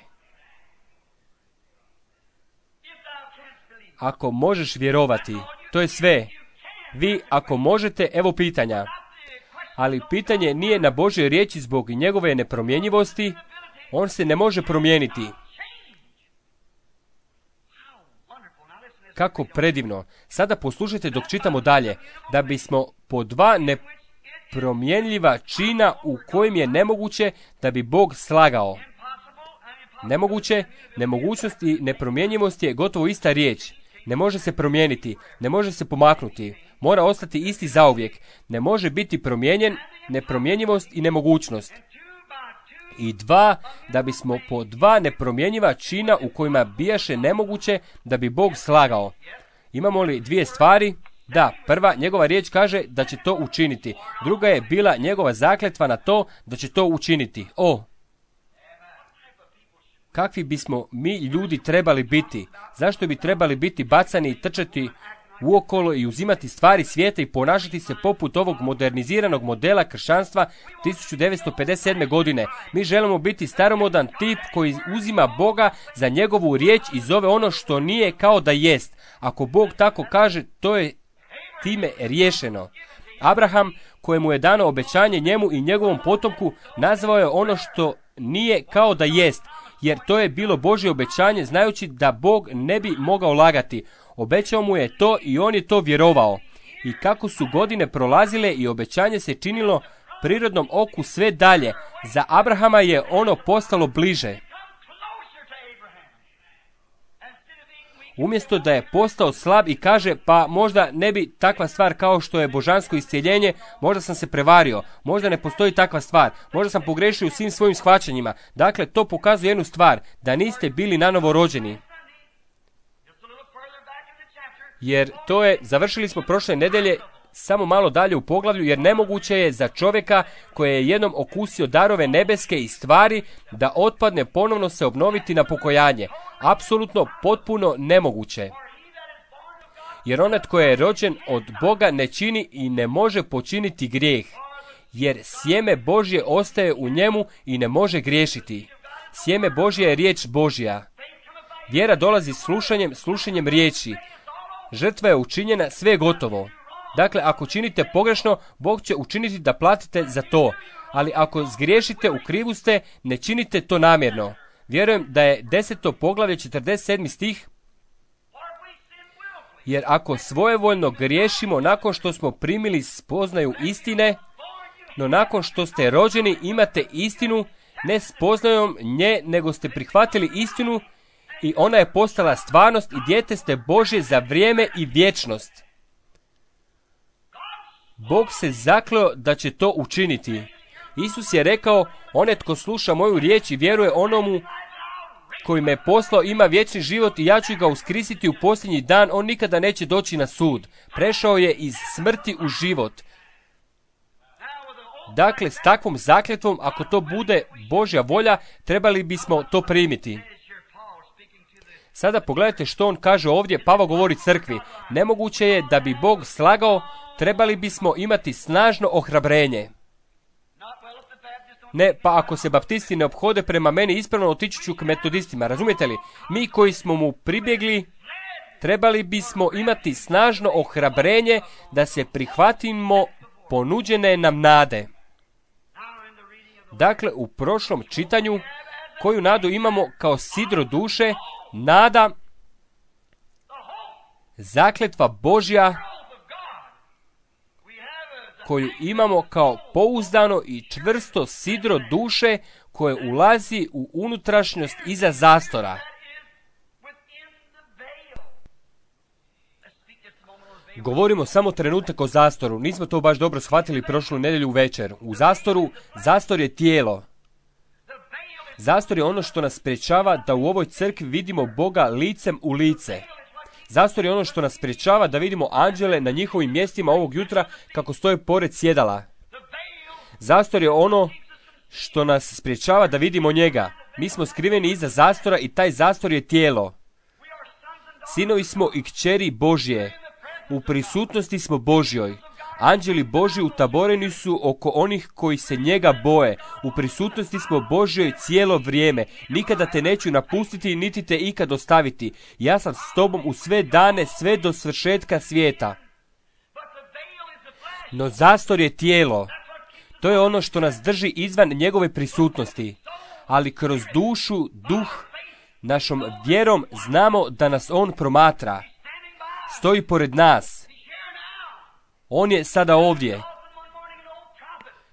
Ako možeš vjerovati, to je sve. Vi, ako možete, evo pitanja. Ali pitanje nije na Božoj riječi zbog njegove nepromjenjivosti. On se ne može promijeniti. Kako predivno. Sada poslušajte dok čitamo dalje. Da bismo po dva nepromjenljiva čina u kojim je nemoguće da bi Bog slagao. Nemoguće, nemogućnost i nepromjenjivost je gotovo ista riječ. Ne može se promijeniti, ne može se pomaknuti, mora ostati isti zauvijek, ne može biti promijenjen, nepromjenjivost i nemogućnost. I dva, da bismo po dva nepromjenjiva čina u kojima bijaše nemoguće da bi Bog slagao. Imamo li dvije stvari? Da, prva, njegova riječ kaže da će to učiniti. Druga je bila njegova zakletva na to da će to učiniti. O! Kakvi bismo mi ljudi trebali biti? Zašto bi trebali biti bacani i trčati uokolo i uzimati stvari svijeta i ponašati se poput ovog moderniziranog modela kršćanstva tisuću devetsto pedeset sedme. godine? Mi želimo biti staromodan tip koji uzima Boga za njegovu riječ i zove ono što nije kao da jest. Ako Bog tako kaže, to je time riješeno. Abraham, kojemu je dano obećanje njemu i njegovom potomku, nazvao je ono što nije kao da jest, jer to je bilo Božje obećanje, znajući da Bog ne bi mogao lagati. Obećao mu je to i on je to vjerovao. I kako su godine prolazile i obećanje se činilo prirodnom oku sve dalje, za Abrahama je ono postalo bliže. Umjesto da je postao slab i kaže, pa možda ne bi takva stvar kao što je božansko iscijeljenje, možda sam se prevario, možda ne postoji takva stvar, možda sam pogrešio u svim svojim shvaćanjima. Dakle, to pokazuje jednu stvar, da niste bili nanovo rođeni. Jer to je, završili smo prošle nedelje, samo malo dalje u poglavlju, jer nemoguće je za čovjeka koji je jednom okusio darove nebeske i stvari da otpadne ponovno se obnoviti na pokojanje. Apsolutno potpuno nemoguće. Jer onaj tko je rođen od Boga ne čini i ne može počiniti grijeh, jer sjeme Božje ostaje u njemu i ne može griješiti. Sjeme Božje je riječ Božja. Vjera dolazi slušanjem, slušanjem riječi. Žrtva je učinjena, sve je gotovo. Dakle, ako činite pogrešno, Bog će učiniti da platite za to. Ali ako zgriješite, u krivu ste, ne činite to namjerno. Vjerujem da je deseto poglavlje četrdeset sedmi stih. Jer ako svojevoljno griješimo nakon što smo primili spoznaju istine, no nakon što ste rođeni imate istinu, ne spoznajom nje, nego ste prihvatili istinu i ona je postala stvarnost i dijete ste Božje za vrijeme i vječnost. Bog se zakleo da će to učiniti. Isus je rekao, onaj tko sluša moju riječ i vjeruje onomu koji me poslao ima vječni život i ja ću ga uskrisiti u posljednji dan, on nikada neće doći na sud. Prešao je iz smrti u život. Dakle, s takvom zakletvom, ako to bude Božja volja, trebali bismo to primiti. Sada pogledajte što on kaže ovdje, Pavao govori crkvi. Nemoguće je da bi Bog slagao, trebali bismo imati snažno ohrabrenje. Ne, pa ako se baptisti ne ophode prema meni ispravno, otići ću k metodistima. Razumijete li? Mi koji smo mu pribjegli, trebali bismo imati snažno ohrabrenje da se prihvatimo ponuđene nam nade. Dakle, u prošlom čitanju, koju nadu imamo kao sidro duše, nada, zakletva Božja, koju imamo kao pouzdano i čvrsto sidro duše koje ulazi u unutrašnjost iza zastora. Govorimo samo trenutak o zastoru. Nismo to baš dobro shvatili prošlu nedjelju večer. U zastoru, zastor je tijelo. Zastor je ono što nas sprječava da u ovoj crkvi vidimo Boga licem u lice. Zastor je ono što nas sprječava da vidimo anđele na njihovim mjestima ovog jutra kako stoje pored sjedala. Zastor je ono što nas sprječava da vidimo njega. Mi smo skriveni iza zastora i taj zastor je tijelo. Sinovi smo i kćeri Božje. U prisutnosti smo Božjoj. Anđeli Božji utaboreni su oko onih koji se njega boje. U prisutnosti smo Božjoj cijelo vrijeme. Nikada te neću napustiti, niti te ikad ostaviti. Ja sam s tobom u sve dane, sve do svršetka svijeta. No zastor je tijelo. To je ono što nas drži izvan njegove prisutnosti. Ali kroz dušu, duh, našom vjerom znamo da nas on promatra. Stoji pored nas. On je sada ovdje.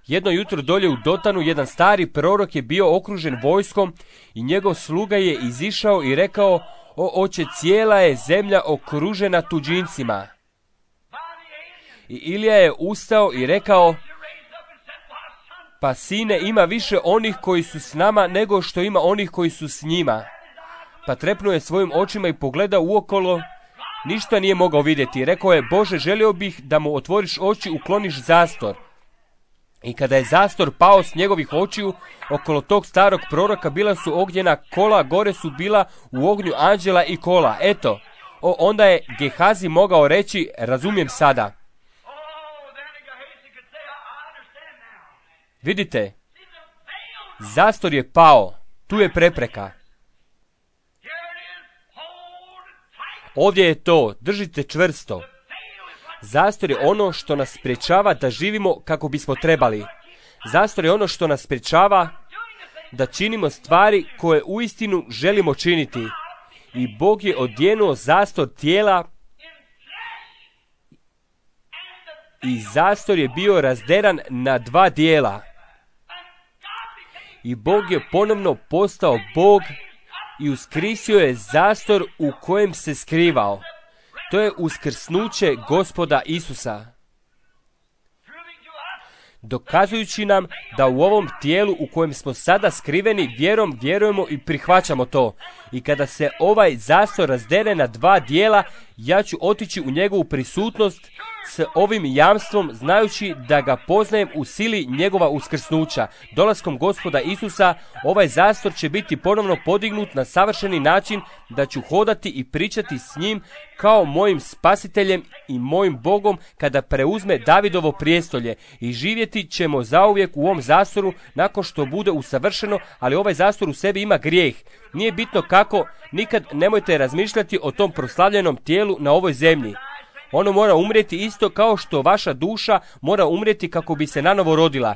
Jedno jutro dolje u Dotanu jedan stari prorok je bio okružen vojskom i njegov sluga je izišao i rekao: o oče, cijela je zemlja okružena tuđincima. I Ilija je ustao i rekao: pa sine, ima više onih koji su s nama nego što ima onih koji su s njima. Pa trepnuo je svojim očima i pogledao uokolo. Ništa nije mogao vidjeti. Rekao je: Bože, želio bih da mu otvoriš oči, ukloniš zastor. I kada je zastor pao s njegovih očiju, okolo tog starog proroka bila su ognjena kola, gore su bila u ognju anđela i kola. Eto, o, onda je Gehazi mogao reći: razumijem sada. Vidite, zastor je pao, tu je prepreka. Ovdje je to, držite čvrsto. Zastor je ono što nas sprječava da živimo kako bismo trebali. Zastor je ono što nas sprječava da činimo stvari koje uistinu želimo činiti. I Bog je odjenuo zastor tijela i zastor je bio razderan na dva dijela. I Bog je ponovno postao Bog i uskrisio je zastor u kojem se skrivao. To je uskrsnuće Gospoda Isusa. Dokazujući nam da u ovom tijelu u kojem smo sada skriveni vjerom vjerujemo i prihvaćamo to. I kada se ovaj zastor razdere na dva dijela, ja ću otići u njegovu prisutnost s ovim jamstvom, znajući da ga poznajem u sili njegova uskrsnuća. Dolaskom Gospoda Isusa, ovaj zastor će biti ponovno podignut na savršeni način, da ću hodati i pričati s njim kao mojim spasiteljem i mojim Bogom kada preuzme Davidovo prijestolje. I živjeti ćemo zauvijek u ovom zastoru nakon što bude usavršeno, ali ovaj zastor u sebi ima grijeh. Nije bitno kako, nikad nemojte razmišljati o tom proslavljenom tijelu na ovoj zemlji. Ono mora umrijeti isto kao što vaša duša mora umrijeti kako bi se nanovo rodila.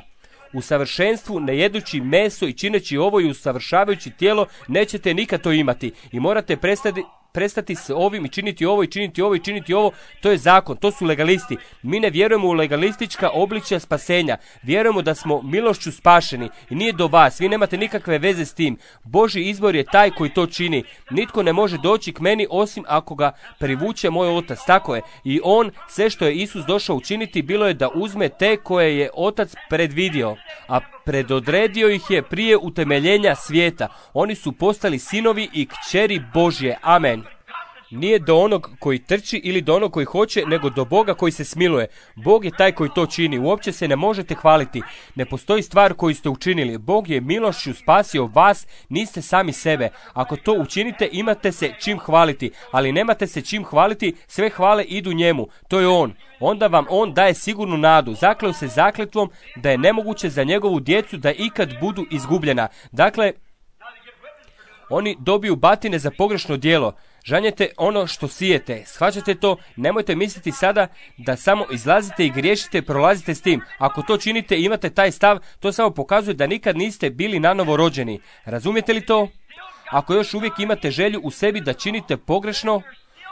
U savršenstvu, ne jedući meso i čineći ovo i usavršavajući tijelo, nećete nikad to imati. I morate prestati, prestati s ovim i činiti ovo i činiti ovo i činiti ovo. To je zakon, to su legalisti. Mi ne vjerujemo u legalistička obličja spasenja. Vjerujemo da smo milošću spašeni i nije do vas. Vi nemate nikakve veze s tim. Božji izbor je taj koji to čini. Nitko ne može doći k meni osim ako ga privuče moj otac. Tako je. I on, sve što je Isus došao učiniti, bilo je da uzme te koje je otac predvidio. A predodredio ih je prije utemeljenja svijeta. Oni su postali sinovi i kćeri Božje. Amen. Nije do onog koji trči ili do onog koji hoće, nego do Boga koji se smiluje. Bog je taj koji to čini. Uopće se ne možete hvaliti. Ne postoji stvar koju ste učinili. Bog je milošću spasio vas, niste sami sebe. Ako to učinite, imate se čim hvaliti. Ali nemate se čim hvaliti, sve hvale idu njemu. To je on. Onda vam on daje sigurnu nadu. Zakleo se zakletvom da je nemoguće za njegovu djecu da ikad budu izgubljena. Dakle, oni dobiju batine za pogrešno djelo. Žanjete ono što sijete. Shvaćate to? Nemojte misliti sada da samo izlazite i griješite, prolazite s tim. Ako to činite i imate taj stav, to samo pokazuje da nikad niste bili nanovo rođeni. Razumijete li to? Ako još uvijek imate želju u sebi da činite pogrešno,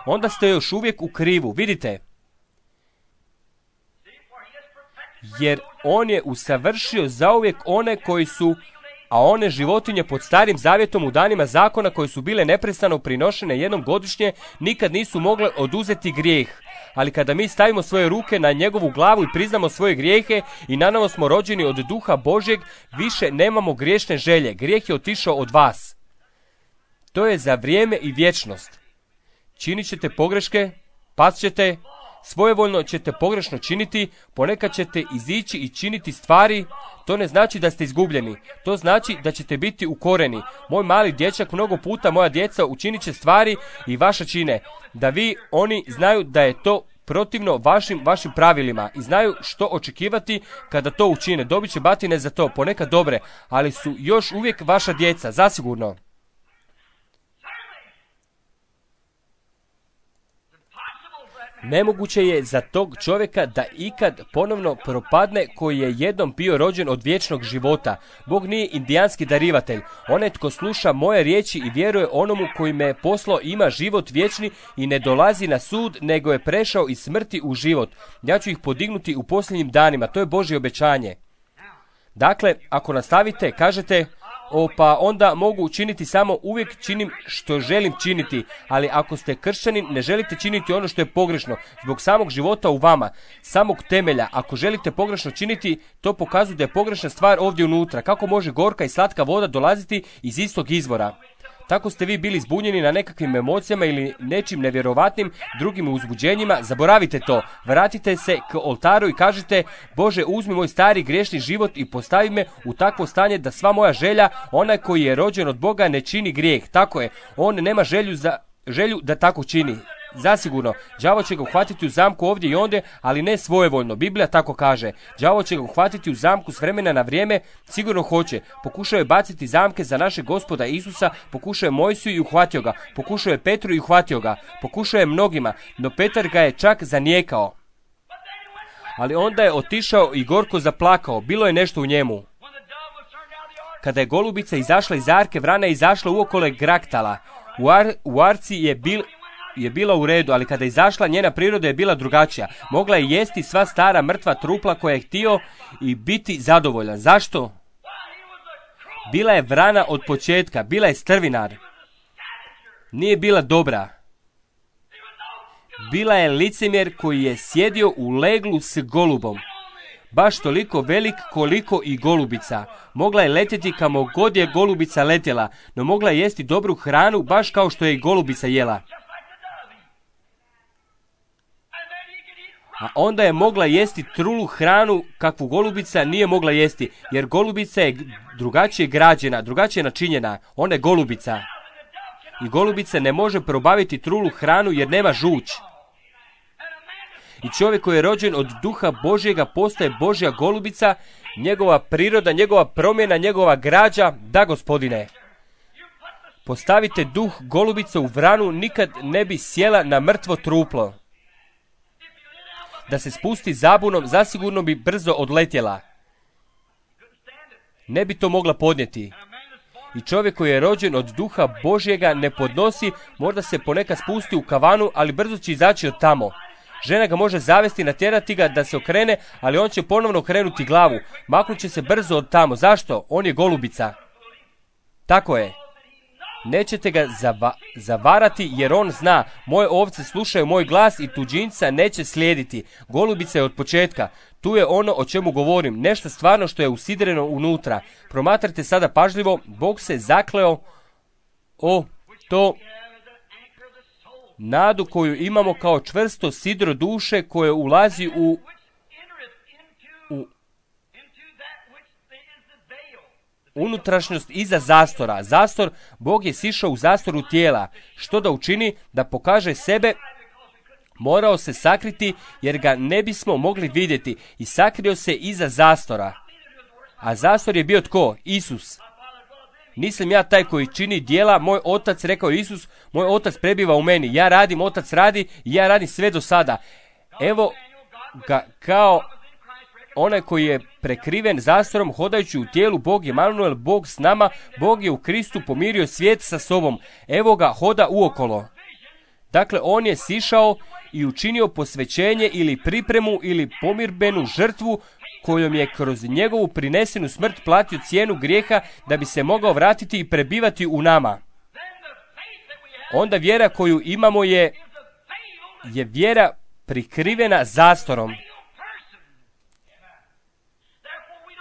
onda ste još uvijek u krivu. Vidite? Jer on je usavršio zauvijek one koji su, a one životinje pod starim zavjetom u danima zakona koje su bile neprestano prinošene jednom godišnje, nikad nisu mogle oduzeti grijeh. Ali kada mi stavimo svoje ruke na njegovu glavu i priznamo svoje grijehe i nanovo smo rođeni od duha Božjeg, više nemamo griješne želje. Grijeh je otišao od vas. To je za vrijeme i vječnost. Činit ćete pogreške, past ćete, svojevoljno ćete pogrešno činiti, ponekad ćete izići i činiti stvari. To ne znači da ste izgubljeni. To znači da ćete biti ukoreni. Moj mali dječak mnogo puta, moja djeca učinit će stvari i vaša čine. Da vi, oni znaju da je to protivno vašim, vašim pravilima i znaju što očekivati kada to učine. Dobit će batine za to, ponekad dobre, ali su još uvijek vaša djeca, zasigurno. Nemoguće je za tog čovjeka da ikad ponovno propadne koji je jednom bio rođen od vječnog života. Bog nije indijanski darivatelj. Onaj tko sluša moje riječi i vjeruje onomu koji me poslao ima život vječni i ne dolazi na sud, nego je prešao iz smrti u život. Ja ću ih podignuti u posljednjim danima. To je Božje obećanje. Dakle, ako nastavite, kažete, o, pa onda mogu učiniti samo uvijek činim što želim činiti, ali ako ste kršćanin ne želite činiti ono što je pogrešno, zbog samog života u vama, samog temelja. Ako želite pogrešno činiti, to pokazuje da je pogrešna stvar ovdje unutra. Kako može gorka i slatka voda dolaziti iz istog izvora? Tako ste vi bili zbunjeni na nekakvim emocijama ili nečim nevjerovatnim drugim uzbuđenjima. Zaboravite to. Vratite se k oltaru i kažite, Bože, uzmi moj stari griješni život i postavi me u takvo stanje da sva moja želja, onaj koji je rođen od Boga, ne čini grijeh. Tako je. On nema želju, za, želju da tako čini. Zasigurno, đavo će ga uhvatiti u zamku ovdje i ondje, ali ne svojevoljno. Biblija tako kaže. Đavo će ga uhvatiti u zamku s vremena na vrijeme, sigurno hoće. Pokušao je baciti zamke za našeg Gospoda Isusa, pokušao je Mojsiju i uhvatio ga. Pokušao je Petru i uhvatio ga. Pokušao je mnogima, no Petar ga je čak zanijekao. Ali onda je otišao i gorko zaplakao, bilo je nešto u njemu. Kada je golubica izašla iz arke, vrana je izašla uokolo graktala. U, ar, u arci je, bil, je bila u redu, ali kada je izašla, njena priroda je bila drugačija. Mogla je jesti sva stara mrtva trupla koja je htio i biti zadovoljan. Zašto? Bila je vrana od početka, bila je strvinar. Nije bila dobra. Bila je licemjer koji je sjedio u leglu s golubom. Baš toliko velik koliko i golubica. Mogla je letjeti kamo god je golubica letjela, no mogla je jesti dobru hranu baš kao što je i golubica jela. A onda je mogla jesti trulu hranu kakvu golubica nije mogla jesti, jer golubica je drugačije građena, drugačije načinjena. Ona je golubica. I golubica ne može probaviti trulu hranu jer nema žuč. I čovjek koji je rođen od duha Božjega postaje Božja golubica, njegova priroda, njegova promjena, njegova građa, da Gospodine. Postavite duh golubice u vranu, nikad ne bi sjela na mrtvo truplo. Da se spusti zabunom, zasigurno bi brzo odletjela. Ne bi to mogla podnijeti. I čovjek koji je rođen od duha Božjega ne podnosi, možda se ponekad spusti u kavanu, ali brzo će izaći od tamo. Žena ga može zavesti, natjerati ga da se okrene, ali on će ponovno okrenuti glavu. Maknut će se brzo od tamo. Zašto? On je golubica. Tako je. Nećete ga zava- zavarati jer on zna, moje ovce slušaju moj glas i tuđinca neće slijediti. Golubica je od početka. Tu je ono o čemu govorim, nešto stvarno što je usidreno unutra. Promatrate sada pažljivo, Bog se zakleo o to nadu koju imamo kao čvrsto sidro duše koje ulazi u, u unutrašnjost iza zastora. Zastor, Bog je sišao u zastoru tijela. Što da učini? Da pokaže sebe. Morao se sakriti jer ga ne bismo mogli vidjeti i sakrio se iza zastora. A zastor je bio tko? Isus. Nisam ja taj koji čini djela, moj otac, rekao Isus, moj otac prebiva u meni. Ja radim, otac radi i ja radim sve do sada. Evo ga kao onaj koji je prekriven zastorom hodajući u tijelu. Bog je Emanuel, Bog s nama, Bog je u Kristu pomirio svijet sa sobom. Evo ga hoda uokolo. Dakle, on je sišao i učinio posvećenje ili pripremu ili pomirbenu žrtvu kojom je kroz njegovu prinesenu smrt platio cijenu grijeha da bi se mogao vratiti i prebivati u nama. Onda vjera koju imamo je, je vjera prikrivena zastorom.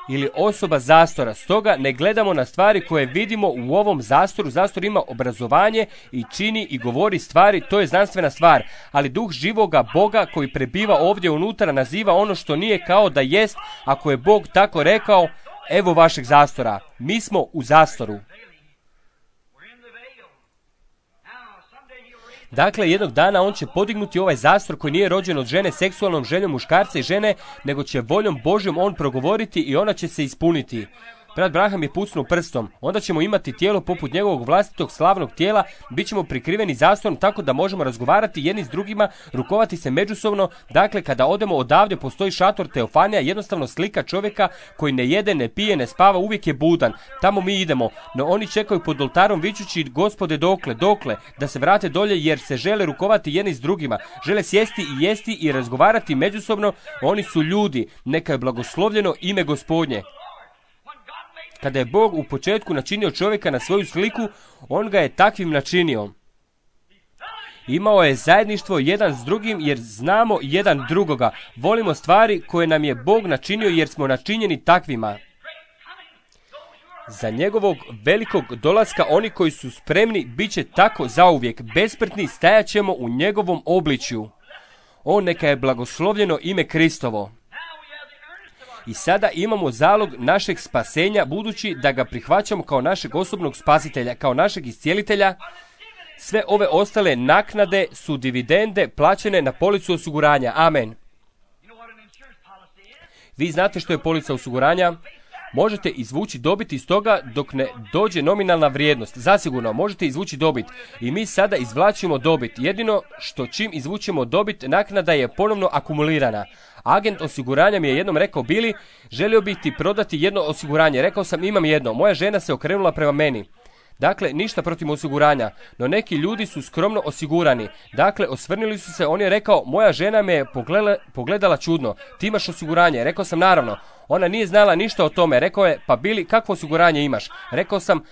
Ili osoba zastora. Stoga ne gledamo na stvari koje vidimo u ovom zastoru. Zastor ima obrazovanje i čini i govori stvari, to je znanstvena stvar. Ali duh živoga Boga koji prebiva ovdje unutra naziva ono što nije kao da jest, ako je Bog tako rekao, evo vašeg zastora. Mi smo u zastoru. Dakle, jednog dana on će podignuti ovaj zastor koji nije rođen od žene seksualnom željom muškarca i žene, nego će voljom Božjom on progovoriti i ona će se ispuniti. Brat Braham je pucnuo prstom. Onda ćemo imati tijelo poput njegovog vlastitog slavnog tijela, bit ćemo prikriveni zastorom tako da možemo razgovarati jedni s drugima, rukovati se međusobno. Dakle, kada odemo odavde postoji šator Teofanija, jednostavno slika čovjeka koji ne jede, ne pije, ne spava, uvijek je budan. Tamo mi idemo, no oni čekaju pod oltarom vičući, Gospode, dokle, dokle, da se vrate dolje jer se žele rukovati jedni s drugima. Žele sjesti i jesti i razgovarati međusobno. Oni su ljudi, neka je blagoslovljeno ime Gospodnje. Kada je Bog u početku načinio čovjeka na svoju sliku, on ga je takvim načinio. Imao je zajedništvo jedan s drugim jer znamo jedan drugoga. Volimo stvari koje nam je Bog načinio jer smo načinjeni takvima. Za njegovog velikog dolaska oni koji su spremni bit će tako zauvijek. Besmrtni stajat ćemo u njegovom obličju. On neka je blagoslovljeno ime Kristovo. I sada imamo zalog našeg spasenja, budući da ga prihvaćamo kao našeg osobnog spasitelja, kao našeg iscijelitelja. Sve ove ostale naknade su dividende plaćene na policu osiguranja. Amen. Vi znate što je polica osiguranja? Možete izvući dobit iz toga dok ne dođe nominalna vrijednost. Zasigurno možete izvući dobit. I mi sada izvlačimo dobit. Jedino što čim izvučemo dobit, naknada je ponovno akumulirana. Agent osiguranja mi je jednom rekao, Bili, želio bih ti prodati jedno osiguranje. Rekao sam, imam jedno. Moja žena se okrenula prema meni. Dakle, ništa protiv osiguranja, no neki ljudi su skromno osigurani. Dakle, osvrnili su se, on je rekao, moja žena me je pogledala, pogledala čudno, ti imaš osiguranje? Rekao sam, naravno. Ona nije znala ništa o tome. Rekao je, pa Bili, kakvo osiguranje imaš? Rekao sam,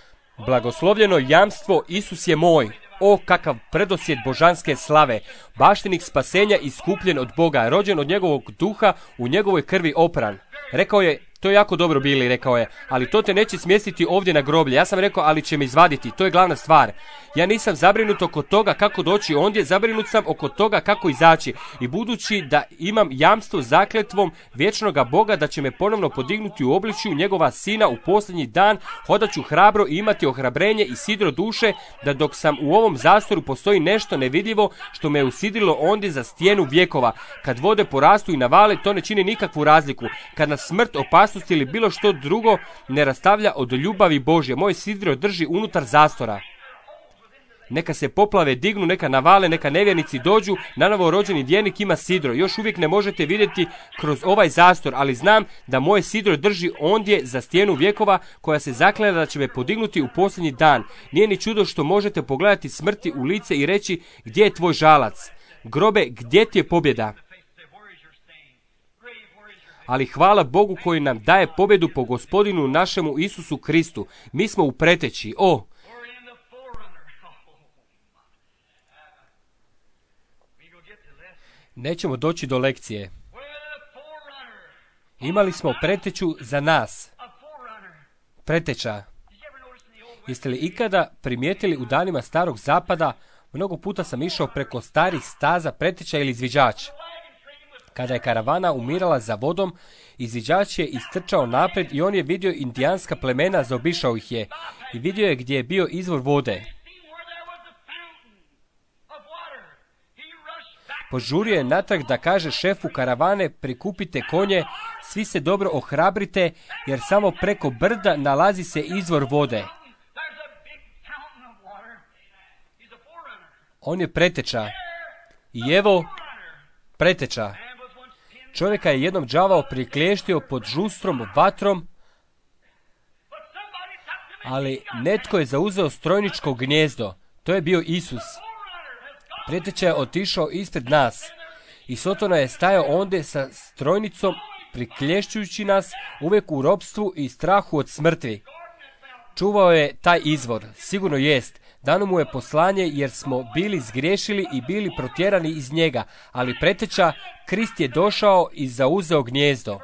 blagoslovljeno jamstvo, Isus je moj. O, kakav predosjet božanske slave, baštenik spasenja iskupljen od Boga, rođen od njegovog duha, u njegovoj krvi opran. Rekao je, to je jako dobro, Bili, rekao je, ali to te neće smjestiti ovdje na groblje. Ja sam rekao, ali će me izvaditi, to je glavna stvar. Ja nisam zabrinut oko toga kako doći ondje, zabrinut sam oko toga kako izaći. I budući da imam jamstvo zakletvom vječnoga Boga da će me ponovno podignuti u obličju njegova sina u posljednji dan, hodat ću hrabro i imati ohrabrenje i sidro duše, da dok sam u ovom zastoru postoji nešto nevidljivo što me je usidrilo ondje za stijenu vjekova. Kad vode porastu i navale, to ne čini nikakvu razliku. Kad nas smrt, opasnost ili bilo što drugo ne rastavlja od ljubavi Božje, moj sidro drži unutar zastora. Neka se poplave dignu, neka navale, neka nevjernici dođu, nanovo rođeni vjernik ima sidro. Još uvijek ne možete vidjeti kroz ovaj zastor, ali znam da moje sidro drži ondje za stijenu vjekova koja se zakleda da će me podignuti u posljednji dan. Nije ni čudo što možete pogledati smrti u lice i reći, gdje je tvoj žalac? Grobe, gdje ti je pobjeda? Ali hvala Bogu koji nam daje pobjedu po Gospodinu našemu Isusu Kristu. Mi smo u preteći. O! Nećemo doći do lekcije. Imali smo preteću za nas. Preteča. Jeste li ikada primijetili u danima starog zapada, mnogo puta sam išao preko starih staza preteča ili izviđač. Kada je karavana umirala za vodom, izviđač je istrčao naprijed i on je vidio indijanska plemena, zaobišao ih je i vidio je gdje je bio izvor vode. Požurio je natrag da kaže šefu karavane, prikupite konje, svi se dobro ohrabrite, jer samo preko brda nalazi se izvor vode. On je preteča. I evo, preteča. Čovjeka je jednom đavao prikliještio pod žustrom vatrom, ali netko je zauzeo strojničko gnijezdo. To je bio Isus. Preteča je otišao ispred nas i Sotona je stajao ondje sa strojnicom, priklješćujući nas uvijek u ropstvu i strahu od smrti. Čuvao je taj izvor, sigurno jest. Dano mu je poslanje jer smo bili zgriješili i bili protjerani iz njega, ali preteča, Krist je došao i zauzeo gnijezdo.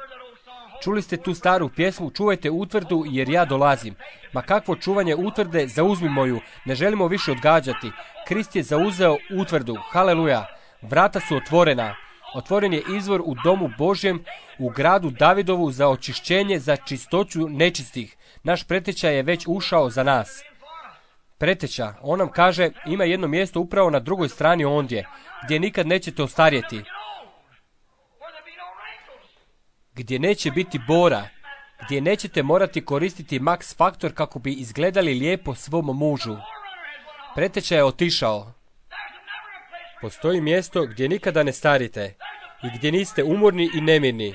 Čuli ste tu staru pjesmu, čuvajte utvrdu jer ja dolazim. Ma kakvo čuvanje utvrde, zauzmi moju, ne želimo više odgađati. Krist je zauzeo utvrdu, haleluja, vrata su otvorena. Otvoren je izvor u domu Božjem, u gradu Davidovu za očišćenje, za čistoću nečistih. Naš preteča je već ušao za nas. Preteča, on nam kaže, ima jedno mjesto upravo na drugoj strani ondje, gdje nikad nećete ostarjeti. Gdje neće biti bora, gdje nećete morati koristiti Max Faktor kako bi izgledali lijepo svom mužu. Preteča je otišao. Postoji mjesto gdje nikada ne starite i gdje niste umorni i nemirni.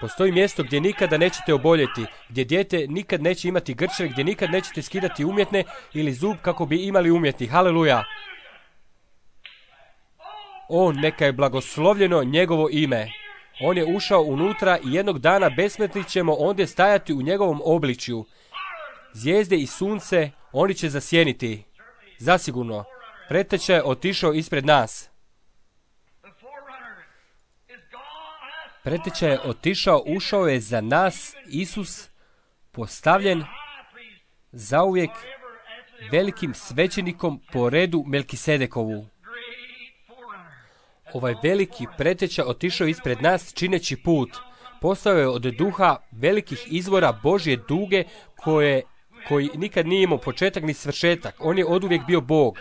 Postoji mjesto gdje nikada nećete oboljeti, gdje dijete nikad neće imati grčeve, gdje nikad nećete skidati umjetne ili zub kako bi imali umjetni. Haleluja! O, neka je blagoslovljeno njegovo ime. On je ušao unutra i jednog dana besmrtni ćemo ondje stajati u njegovom obličju. Zvijezde i sunce, oni će zasjeniti. Zasigurno. Preteča je otišao ispred nas. Preteča je otišao, ušao je za nas, Isus, postavljen zauvijek velikim svećenikom po redu Melkisedekovu. Ovaj veliki preteča otišao ispred nas čineći put. Postao je od duha velikih izvora Božje duge koje, koji nikad nije imao početak ni svršetak. On je oduvijek bio Bog.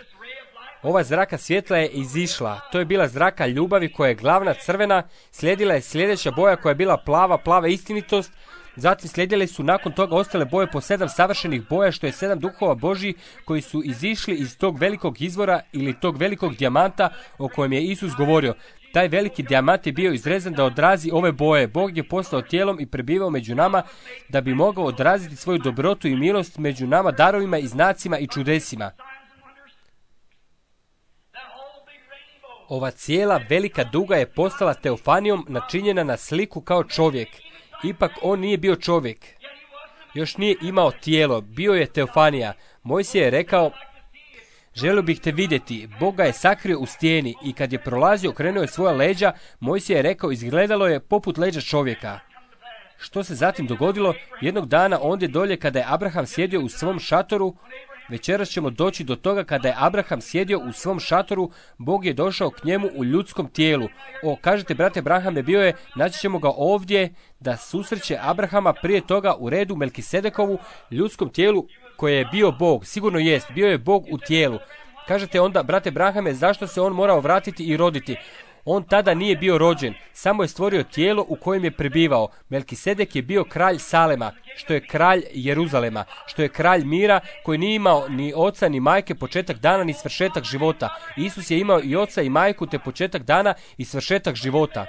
Ova zraka svjetla je izišla. To je bila zraka ljubavi koja je glavna crvena. Slijedila je sljedeća boja koja je bila plava, plava istinitost. Zatim slijedile su nakon toga ostale boje po sedam savršenih boja, što je sedam duhova Božji koji su izišli iz tog velikog izvora ili tog velikog dijamanta o kojem je Isus govorio. Taj veliki dijamant je bio izrezan da odrazi ove boje. Bog je postao tijelom i prebivao među nama da bi mogao odraziti svoju dobrotu i milost među nama darovima i znacima i čudesima. Ova cijela velika duga je postala teofanijom načinjena na sliku kao čovjek. Ipak on nije bio čovjek. Još nije imao tijelo, bio je teofanija. Mojsije je rekao, želio bih te vidjeti. Bog ga je sakrio u stijeni i kad je prolazio, okrenuo je svoja leđa. Mojsije je rekao, izgledalo je poput leđa čovjeka. Što se zatim dogodilo? Jednog dana ondje dolje kada je Abraham sjedio u svom šatoru, večeras ćemo doći do toga kada je Abraham sjedio u svom šatoru, Bog je došao k njemu u ljudskom tijelu. O, kažete, brate, Abraham je bio je, naći ćemo ga ovdje da susreće Abrahama prije toga u redu Melkisedekovu ljudskom tijelu koje je bio Bog. Sigurno jest, bio je Bog u tijelu. Kažete onda, brate Abrahame, zašto se on morao vratiti i roditi? On tada nije bio rođen, samo je stvorio tijelo u kojem je prebivao. Melkisedek je bio kralj Salema, što je kralj Jeruzalema, što je kralj mira, koji nije imao ni oca ni majke, početak dana ni svršetak života. Isus je imao i oca i majku, te početak dana i svršetak života.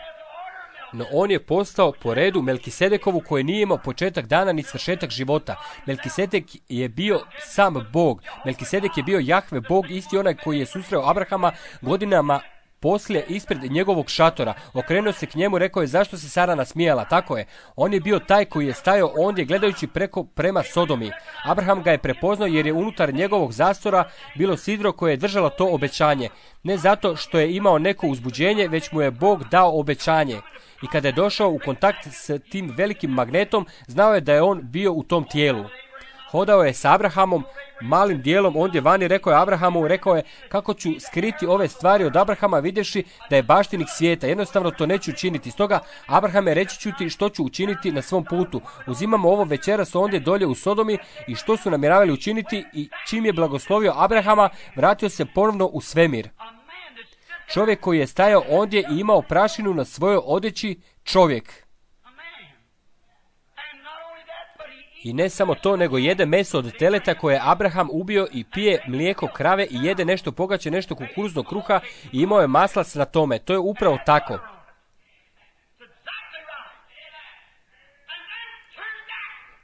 No on je postao po redu Melkisedekovu koji nije imao početak dana ni svršetak života. Melkisedek je bio sam Bog. Melkisedek je bio Jahve Bog, isti onaj koji je susreo Abrahama godinama poslije ispred njegovog šatora. Okrenuo se k njemu, rekao je, zašto se Sara nasmijala? Tako je. On je bio taj koji je stajao ondje gledajući preko prema Sodomi. Abraham ga je prepoznao jer je unutar njegovog zastora bilo sidro koje je držalo to obećanje. Ne zato što je imao neko uzbuđenje, već mu je Bog dao obećanje. I kada je došao u kontakt s tim velikim magnetom, znao je da je on bio u tom tijelu. Hodao je s Abrahamom, malim dijelom ondje vani, rekao je Abrahamu, rekao je, kako ću skriti ove stvari od Abrahama vidjevši da je baštinik svijeta. Jednostavno to neću učiniti. Stoga, Abrahame, reći ću ti što ću učiniti na svom putu. Uzimamo ovo večeras ondje dolje u Sodomi i što su namjeravali učiniti, i čim je blagoslovio Abrahama, vratio se ponovno u svemir. Čovjek koji je stajao ondje i imao prašinu na svojoj odjeći, čovjek. I ne samo to, nego jede meso od teleta koje je Abraham ubio i pije mlijeko krave i jede nešto pogače, nešto kukuruznog kruha i imao je maslac na tome. To je upravo tako.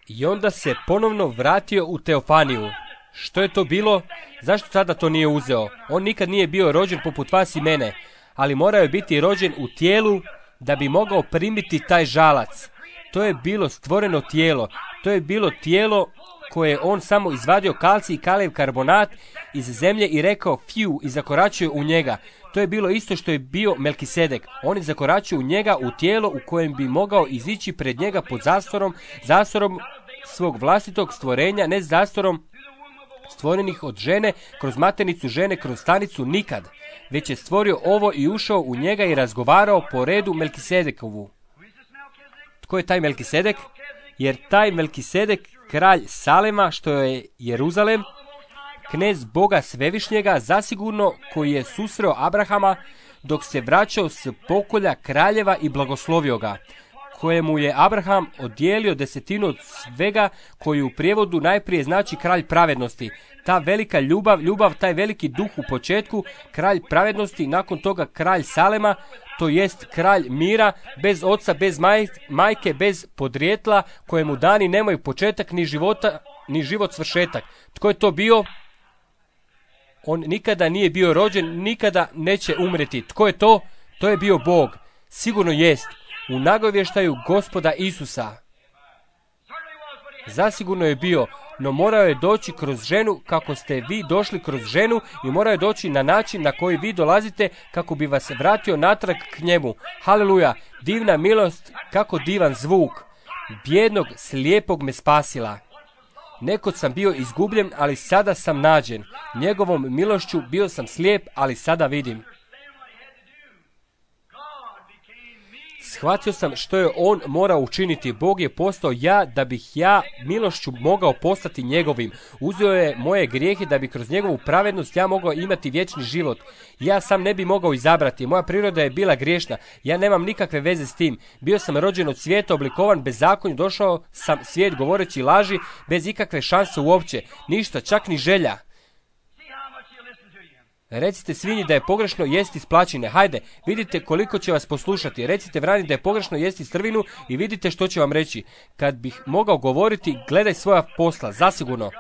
I onda se ponovno vratio u teofaniju. Što je to bilo? Zašto tada to nije uzeo? On nikad nije bio rođen poput vas i mene, ali morao je biti rođen u tijelu da bi mogao primiti taj žalac. To je bilo stvoreno tijelo. To je bilo tijelo koje je on samo izvadio kalcij i kalijev karbonat iz zemlje i rekao fiu i zakoračio u njega. To je bilo isto što je bio Melkisedek. On je zakoračio u njega u tijelo u kojem bi mogao izići pred njega pod zastorom, zastorom svog vlastitog stvorenja, ne zastorom stvorenih od žene, kroz maternicu žene, kroz stanicu nikad. Već je stvorio ovo i ušao u njega i razgovarao po redu Melkisedekovu. Tko je taj Melkisedek? Jer taj Melkisedek, kralj Salema, što je Jeruzalem, knez Boga Svevišnjega, zasigurno koji je susreo Abrahama dok se vraćao s pokolja kraljeva i blagoslovio ga, kojemu je Abraham odijelio desetinu od svega, koji u prijevodu najprije znači kralj pravednosti. Ta velika ljubav, ljubav, taj veliki duh u početku, kralj pravednosti, nakon toga kralj Salema, to jest kralj mira, bez oca, bez maj, majke, bez podrijetla, kojemu dani nemaju početak ni života, ni život svršetak. Tko je to bio? On nikada nije bio rođen, nikada neće umreti. Tko je to? To je bio Bog. Sigurno jest. U nagovještaju Gospoda Isusa. Zasigurno je bio, no morao je doći kroz ženu kako ste vi došli kroz ženu i morao je doći na način na koji vi dolazite kako bi vas vratio natrag k njemu. Haleluja, divna milost, kako divan zvuk. Bijednog, slijepog me spasila. Nekod sam bio izgubljen, ali sada sam nađen. Njegovom milošću bio sam slijep, ali sada vidim. Shvatio sam što je on morao učiniti. Bog je postao ja da bih ja milošću mogao postati njegovim. Uzeo je moje grijehe da bi kroz njegovu pravednost ja mogao imati vječni život. Ja sam ne bi mogao izabrati. Moja priroda je bila griješna. Ja nemam nikakve veze s tim. Bio sam rođen od svijeta, oblikovan bezakonju, došao sam svijet govoreći laži, bez ikakve šanse uopće. Ništa, čak ni želja. Recite svinji da je pogrešno jesti splačine. Hajde, vidite koliko će vas poslušati. Recite vrani da je pogrešno jesti strvinu i vidite što će vam reći. Kad bih mogao govoriti, gledaj svoja posla, zasigurno.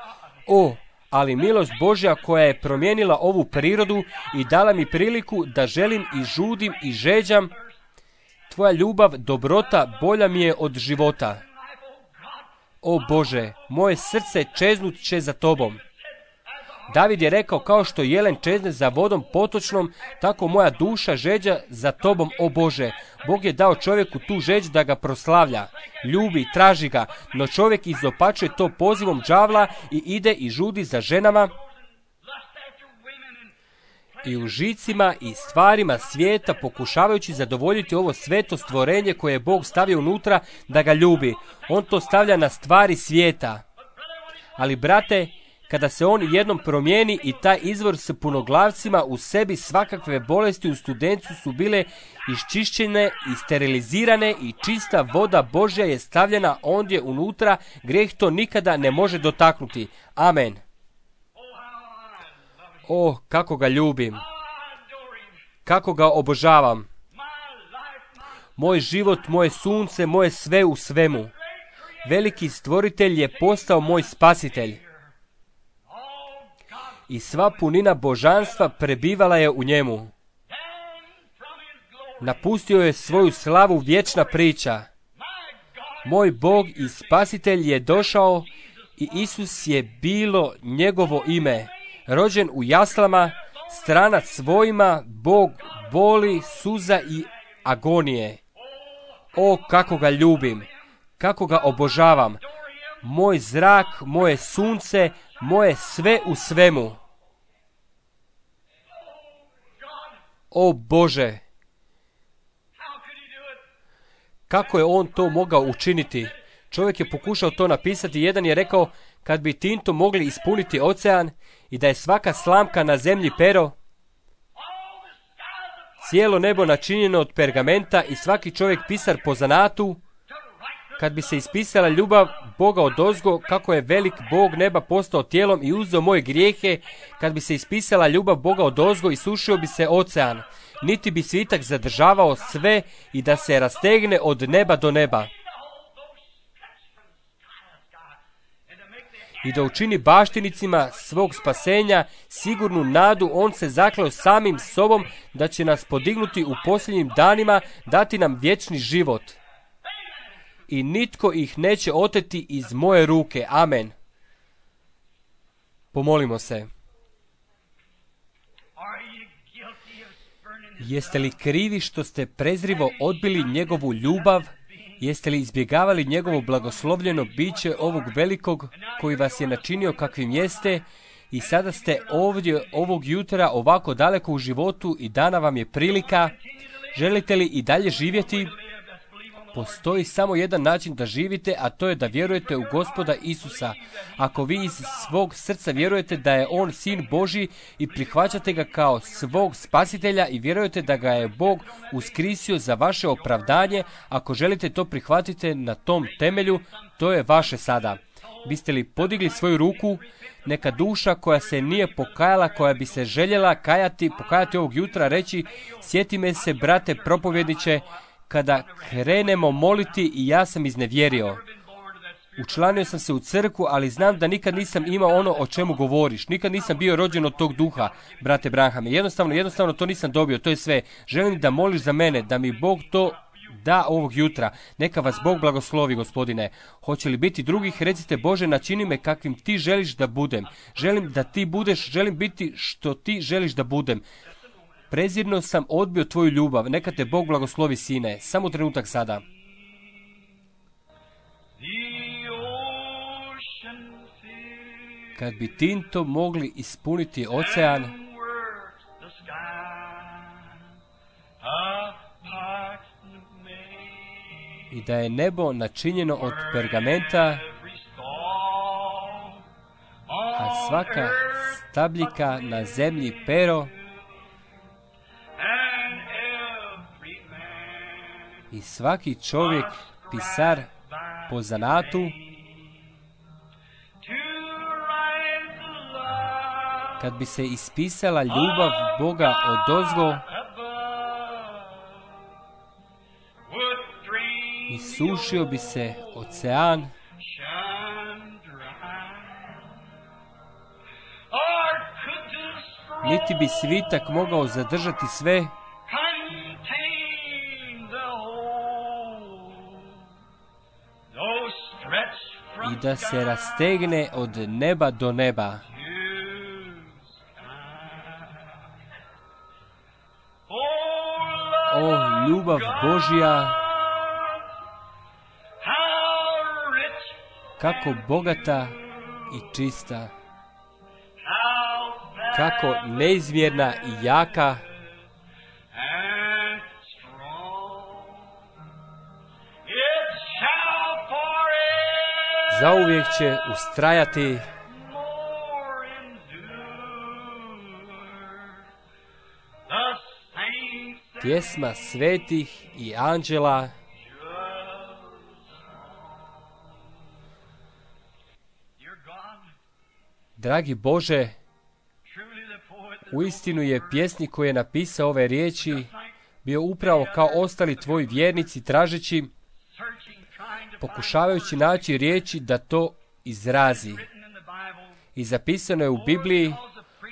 O, ali milost Božja koja je promijenila ovu prirodu i dala mi priliku da želim i žudim i žeđam. Tvoja ljubav, dobrota, bolja mi je od života. O Bože, moje srce čeznut će za tobom. David je rekao, kao što jelen čezne za vodom potočnom, tako moja duša žeđa za tobom, o Bože. Bog je dao čovjeku tu žeđ da ga proslavlja, ljubi, traži ga, no čovjek izopačuje to pozivom đavla i ide i žudi za ženama i u žicima i stvarima svijeta, pokušavajući zadovoljiti ovo sveto stvorenje koje je Bog stavio unutra da ga ljubi. On to stavlja na stvari svijeta. Ali, brate, kada se on jednom promijeni i taj izvor s punoglavcima u sebi, svakakve bolesti u studencu su bile iščišćene i sterilizirane i čista voda Božja je stavljena ondje unutra, grijeh to nikada ne može dotaknuti. Amen. O, kako ga ljubim, kako ga obožavam. Moj život, moje sunce, moje sve u svemu. Veliki stvoritelj je postao moj spasitelj. I sva punina božanstva prebivala je u njemu. Napustio je svoju slavu vječna priča. Moj Bog i spasitelj je došao i Isus je bilo njegovo ime. Rođen u jaslama, stranac svojima, Bog boli, suza i agonije. O, kako ga ljubim, kako ga obožavam. Moj zrak, moje sunce, moje sve u svemu. O Bože, kako je on to mogao učiniti? Čovjek je pokušao to napisati. Jedan je rekao, kad bi tintom mogli ispuniti ocean i da je svaka slamka na zemlji pero, cijelo nebo načinjeno od pergamenta i svaki čovjek pisar po zanatu, kad bi se ispisala ljubav Boga odozgo, kako je velik Bog neba postao tijelom i uzeo moje grijehe, kad bi se ispisala ljubav Boga odozgo i sušio bi se ocean, niti bi svitak zadržavao sve i da se rastegne od neba do neba. I da učini baštinicima svog spasenja sigurnu nadu, on se zakleo samim sobom da će nas podignuti u posljednjim danima, dati nam vječni život. I nitko ih neće oteti iz moje ruke. Amen. Pomolimo se. Jeste li krivi što ste prezrivo odbili njegovu ljubav? Jeste li izbjegavali njegovo blagoslovljeno biće ovog velikog koji vas je načinio kakvim jeste i sada ste ovdje ovog jutra ovako daleko u životu i dana vam je prilika? Želite li i dalje živjeti? Postoji samo jedan način da živite, a to je da vjerujete u Gospoda Isusa. Ako vi iz svog srca vjerujete da je On Sin Božji i prihvaćate ga kao svog spasitelja i vjerujete da ga je Bog uskrisio za vaše opravdanje, ako želite to prihvatite na tom temelju, to je vaše sada. Biste li podigli svoju ruku? Neka duša koja se nije pokajala, koja bi se željela kajati, pokajati ovog jutra, reći, sjeti me se, brate propovjedniče, kada krenemo moliti i ja sam iznevjerio. Učlanio sam se u crkvu, ali znam da nikad nisam imao ono o čemu govoriš. Nikad nisam bio rođen od tog duha, brate Branhame. Jednostavno, jednostavno to nisam dobio, to je sve. Želim da moliš za mene, da mi Bog to da ovog jutra. Neka vas Bog blagoslovi, gospodine. Hoće li biti drugih? Recite, Bože, načini me kakvim ti želiš da budem. Želim da ti budeš, želim biti što ti želiš da budem. Prezirno sam odbio tvoju ljubav. Neka te Bog blagoslovi, sine. Samo trenutak sada. Kad bi tintom mogli ispuniti ocean i da je nebo načinjeno od pergamenta, a svaka stabljika na zemlji pero, i svaki čovjek pisar po zanatu, kad bi se ispisala ljubav Boga odozgo, isušio bi se ocean, niti bi svitak mogao zadržati sve, i da se rastegne od neba do neba. O, ljubav Božja, kako bogata i čista, kako neizmjerna i jaka, zauvijek će ustrajati, pjesma svetih i anđela, dragi Bože, uistinu je pjesnik koji je napisao ove riječi bio upravo kao ostali tvoji vjernici, tražeći, pokušavajući naći riječi da to izrazi. I zapisano je u Bibliji,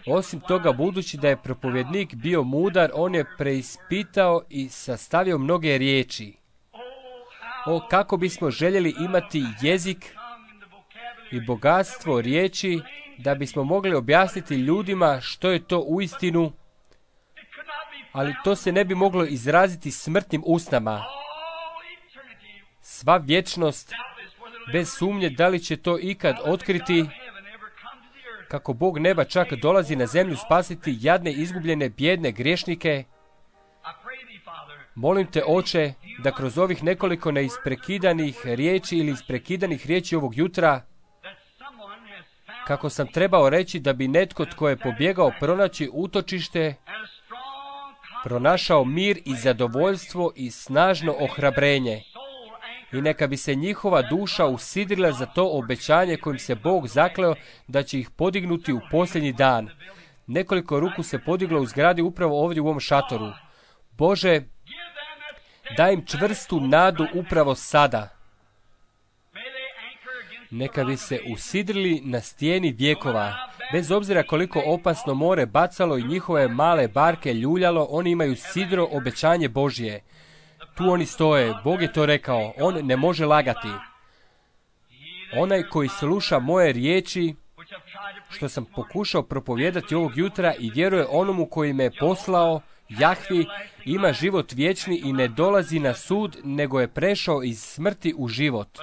osim toga, budući da je propovjednik bio mudar, on je preispitao i sastavio mnoge riječi. O, kako bismo željeli imati jezik i bogatstvo riječi, da bismo mogli objasniti ljudima što je to uistinu, ali to se ne bi moglo izraziti smrtnim usnama. Sva vječnost, bez sumnje da li će to ikad otkriti, kako Bog neba čak dolazi na zemlju spasiti jadne, izgubljene, bijedne griješnike. Molim te, Oče, da kroz ovih nekoliko neisprekidanih riječi ili isprekidanih riječi ovog jutra, kako sam trebao reći da bi netko tko je pobjegao pronaći utočište, pronašao mir i zadovoljstvo i snažno ohrabrenje. I neka bi se njihova duša usidrila za to obećanje kojim se Bog zakleo da će ih podignuti u posljednji dan. Nekoliko ruku se podiglo u zgradi upravo ovdje u ovom šatoru. Bože, daj im čvrstu nadu upravo sada. Neka bi se usidrili na stijeni vjekova. Bez obzira koliko opasno more bacalo i njihove male barke ljuljalo, oni imaju sidro obećanje Božje. Tu oni stoje, Bog je to rekao, on ne može lagati. Onaj koji sluša moje riječi, što sam pokušao propovijedati ovog jutra i vjeruje onomu koji me je poslao, Jahvi, ima život vječni i ne dolazi na sud, nego je prešao iz smrti u život.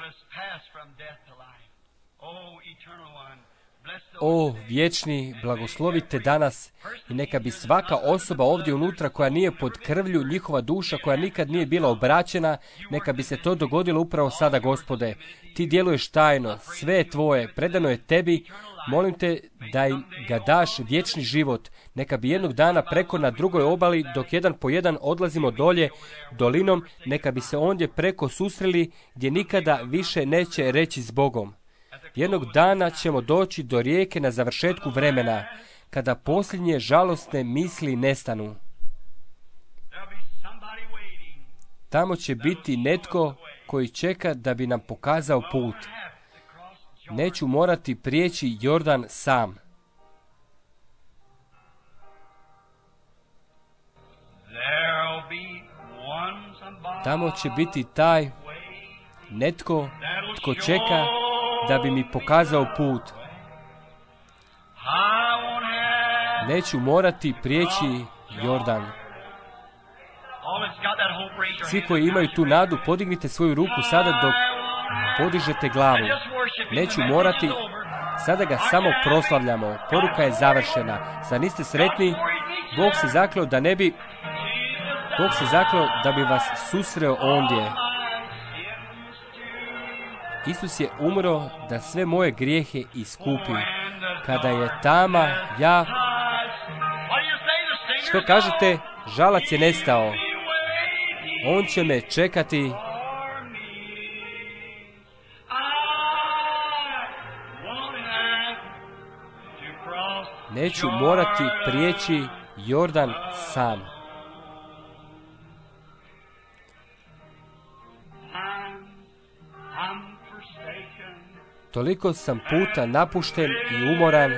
O, vječni, blagoslovite danas i neka bi svaka osoba ovdje unutra koja nije pod krvlju, njihova duša koja nikad nije bila obraćena, neka bi se to dogodilo upravo sada, Gospode. Ti djeluješ tajno, sve je tvoje, predano je tebi, molim te da im ga daš vječni život. Neka bi jednog dana preko na drugoj obali, dok jedan po jedan odlazimo dolje dolinom, neka bi se ondje preko susreli gdje nikada više neće reći s Bogom. Jednog dana ćemo doći do rijeke na završetku vremena, kada posljednje žalosne misli nestanu. Tamo će biti netko koji čeka da bi nam pokazao put. Neću morati prijeći Jordan sam. Tamo će biti taj netko tko čeka da bi mi pokazao put. Neću morati prijeći Jordan. Svi koji imaju tu nadu, podignite svoju ruku sada dok podižete glavu. Neću morati, sada ga samo proslavljamo. Poruka je završena. Zar niste sretni? Bog se zakleo da ne bi, Bog se zakleo da bi vas susreo ondje. Isus je umro da sve moje grijehe iskupi. Kada je tama, ja... Što kažete? Žalac je nestao. On će me čekati. Neću morati prijeći Jordan sam. Toliko sam puta napušten i umoran.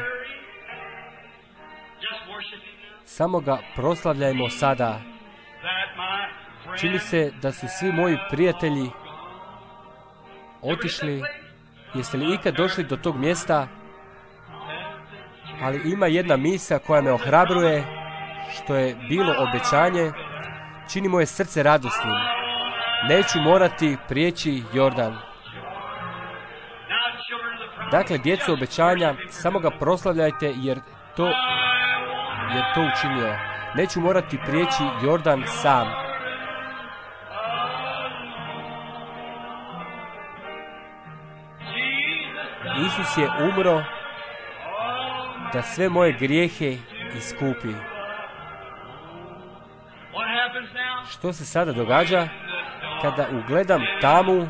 Samo ga proslavljajmo sada. Čini se da su svi moji prijatelji otišli. Jeste li ikad došli do tog mjesta? Ali ima jedna misao koja me ohrabruje, što je bilo obećanje, čini moje srce radosnim. Neću morati prijeći Jordan. Dakle, djeco obećanja, samo ga proslavljajte jer to, jer to učinio. Neću morati prijeći Jordan sam. Isus je umro da sve moje grijehe iskupi. Što se sada događa? Kada ugledam tamu,